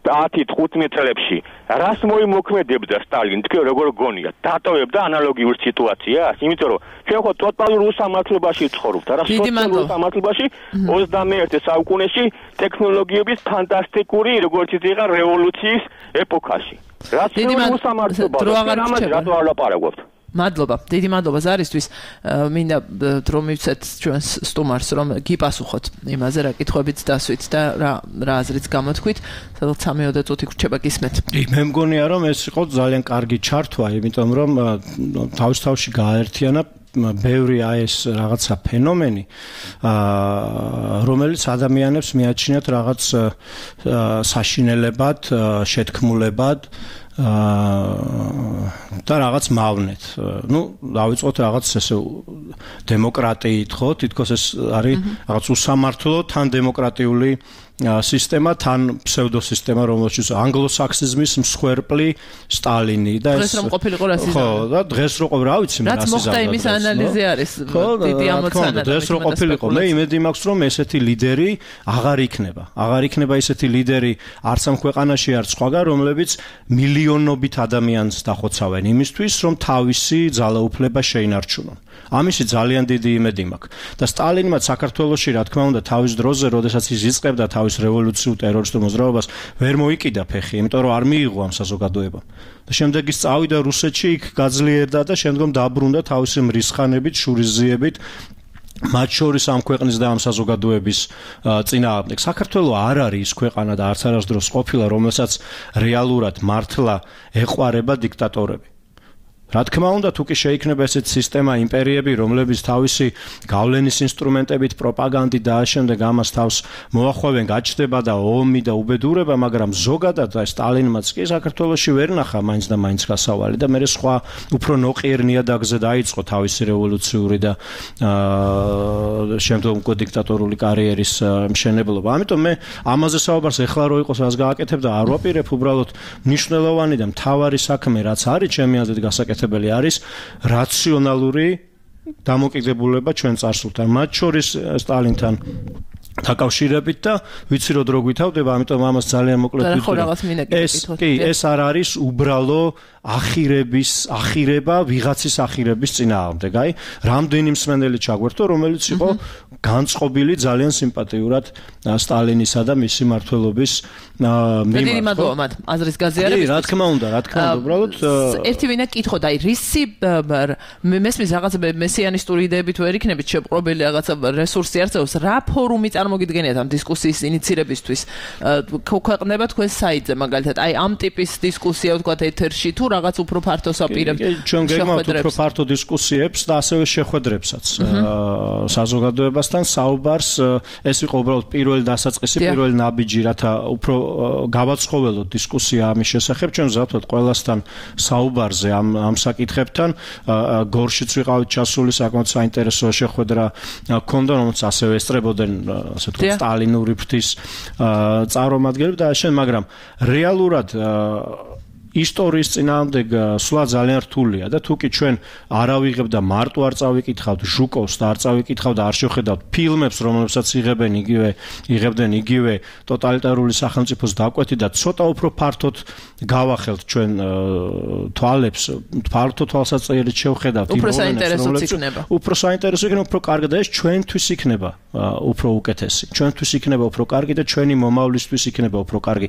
ათი-თხუთმეტ წლებში რას მოიმოქმედებდა სტალინი, თქვენ როგორ გონიათ? დატოვებდა ანალოგიურ სიტუაციას? იმიტომ რომ ჩვენ ხო ტოტალურ უსამართლობაში ვცხოვრობთ, არა სოციალურ უსამართლობაში ოცდამეერთე საუკუნეში ტექნოლოგიების ფანტასტიკური, როგორც იცი რევოლუციის ეპოქაში. რაც უსამართლობა, ამაზე რატო არ ლაპარაკობთ? მადლობა, დიდი მადლობა ზარისთვის. მინდა რომ მივცეთ ჩვენს სტუმარს, რომ გიპასუხოთ იმაზე, რა კითხვებიც დასვით და რა რა აზრიც გამოთქვით. სადღაც სამი-ოცდაათი წუთი გრჩება გისმენთ. მე მგონია რომ ეს იყო ძალიან კარგი ჩართვა, იმიტომ რომ თავის თავში გააერთიანა ბევრი აი ეს რაღაცა ფენომენი, რომელიც ადამიანებს მიაჩნიათ რაღაც საშინელებად, შეთქმულებად და რაღაც მავნეთ. Ну, დავიწყოთ რაღაც ესე დემოკრატიით, ხო? თითქოს ეს არის რაღაც უსამართლო თან დემოკრატიული სისტემა, თან ფსევდოსისტემა, რომელშიც ანგლოსაქსიზმის მსხვერპლი სტალინი და ეს დღეს რომ ყოფილიყო რასიზმი. ხო, და დღეს რო ყოფილი, რა ვიცი მე რაც მოხდა იმის ანალიზი არის დიდი ამოცანა. დღეს რო ყოფილიყო, მე იმედი მაქვს, რომ ესეთი ლიდერი აღარ იქნება. აღარ იქნება ესეთი ლიდერი არც ამ ქვეყანაში, არც სხვაგან, რომლებიც მილიონობით ადამიანს დახოცავენ იმისთვის, რომ თავისი ძალაუფლება შეინარჩუნონ. ამისი ძალიან დიდი იმედი მაქვს. და სტალინმა საქართველოში, რა თქმა უნდა, თავის დროზე, როდესაც ის იწყებდა თავის რევოლუციურ ტერორისტულ მოძრაობას, ვერ მოიკიდა ფეხი, იმიტომ რომ არ მიიღო ამ საზოგადოებამ. და შემდეგ ის წავიდა რუსეთში, იქ გაძლიერდა და შემდგომ დაბრუნდა თავისი მრისხანებით, შურისძიებით, მათ შორის ამ ქვეყნის და ამ საზოგადოების წინააღმდეგ. საქართველო არ არის ის ქვეყანა და არც არასდროს ყოფილა, რომელსაც რეალურად მართლა ეყვარება დიქტატორები. რა თქმა უნდა, თუ კი შეიქმნება ესეთი სისტემა, იმპერიები, რომლებიც თავისი გავლენის ინსტრუმენტებით, პროპაგანდით და ამავდროულად ამას თავს მოახვევენ, გაჩნდება და ომი და უბედურება, მაგრამ ზოგადად და სტალინმაც კი საქართველოში ვერ ნახა მაინც და მაინც გასავალი და მერე სხვა უფრო ნოყიერ ნიადაგზე დაიწყო თავისი რევოლუციური და შემდგომ უკვე დიქტატორული კარიერის მშენებლობა. ამიტომ მე ამაზე საუბარს ეხლა რო იყოს რას გააკეთებ და არ ვაპირებ, უბრალოდ მნიშვნელოვანი და მთავარი საქმე რაც არის ჩემი აზრით გასაკეთებელი არის რაციონალური დამოკიდებულება ჩვენ წარსულთან, მათ შორის სტალინთან დაკავშირებით და ვიცი რომ დრო გვითავდება, ამიტომ ამას ძალიან მოკლედ ვიტყვი. ეს კი, ეს არ არის უბრალო ახირების, ახირება, ვიღაცის ახირების წინააღმდეგ, აი, რამდენი მსმენელი ჩაგვერთო, რომელიც იყო განწყობილი ძალიან სიმპათიურად სტალინისა და მისი მმართველობის მიმართ. დიდი მადლობა მათ აზრის გაზიარებისთვის. კი, რა თქმა უნდა, რა თქმა უნდა, უბრალოდ ერთი ვინა კითხოთ, აი, რისი მესმის რაღაცა მესიანისტური იდეებით ვერ იქნებით შეპყრობილი რაღაცა რესურსი არწევს, რა ფორუმი წარმოგიდგენიათ ამ დისკუსიის ინიცირებისთვის? ქვეყნდება თქვენ საიტზე მაგალითად, აი, ამ ტიპის დისკუსია ვთქვათ ეთერში თუ რაღაც უფრო ფართო საპირებ ჩვენ გეგმავთ უფრო ფართო დისკუსიებს და ასევე შეხვედრებსაც საზოგადოებასთან საუბარს. ეს იყო უბრალოდ პირველი დასაწყისი, პირველი ნაბიჯი, რათა უფრო გავაცხოველოთ დისკუსია ამის შესახებ. ჩვენ ვზავთ ყველასთან საუბარზე ამ ამ საკითხებთან. გორშიც ვიყავით ჩასული, საკმაოდ საინტერესო შეხვედრა ჰქონდა, რომელიც ასევე ესწრებოდნენ ასე ვთქვათ სტალინური ფრთის წარმომადგენლები და შენ, მაგრამ რეალურად ისტორიის წინააღმდეგ სვლა ძალიან რთულია და თუ კი ჩვენ არ ავიღებ და მარტო არ წავიკითხავთ ჟუკოვს და არ წავიკითხავთ და არ შევხედავთ ფილმებს, რომლებსაც იღებენ იგივე იღებდნენ იგივე ტოტალიტარული სახელმწიფოს დაკვეთი და ცოტა უფრო ფართოდ გავახელთ ჩვენ თვალებს, ფართო თვალსაჩინით შევხედავთ იმ მომენტებს, იქნება. უფრო საინტერესო იქნება, უფრო კარგი და ეს ჩვენთვის იქნება უფრო უკეთესი. ჩვენთვის იქნება უფრო კარგი და ჩვენი მომავლისთვის იქნება უფრო კარგი.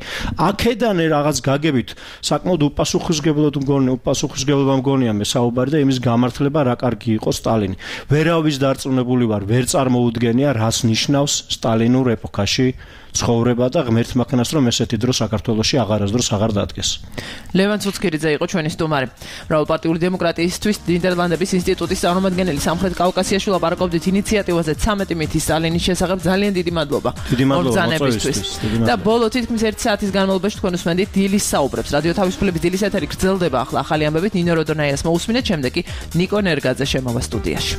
აქედან რაღაც გაგებით საკმაოდ უპასუხისმგებლად მგონია, უპასუხისმგებლობა მგონია მე საუბარი და იმის გამართლება რა კარგი იყო სტალინი. ვერავის დარწმუნებული ვარ, ვერ წარმოუდგენია რას ნიშნავს სტალინურ ეპოქაში ცხოვრება და ღმერთმა ქნას რომ ესეთი დრო საქართველოში აღარასდროს აღარ დადგეს. ლევან ცუცქირიძე იყო ჩვენი სტუმარი. მრავალპარტიული დემოკრატიისთვის ნიდერლანდების ინსტიტუტის წარმომადგენელი სამხრეთ კავკასიაში ლაპარაკობდით ინიციატივაზე ცამეტი მითი სტალინის შესახებ. ძალიან დიდი მადლობა. მოგზაურობისთვის. და ბოლო თითქმის ერთი საათის განმავლობაში თქვენ უსმენდით დილის საუბრებს. რადიო თავისუფლების დილის ეთერი გრძელდება ახლა ახალი ამბებით. ნინო როდონაიას მოусმინეთ, შემდეგ კი ნიკო ნერგაძე შემოვა სტუდიაში.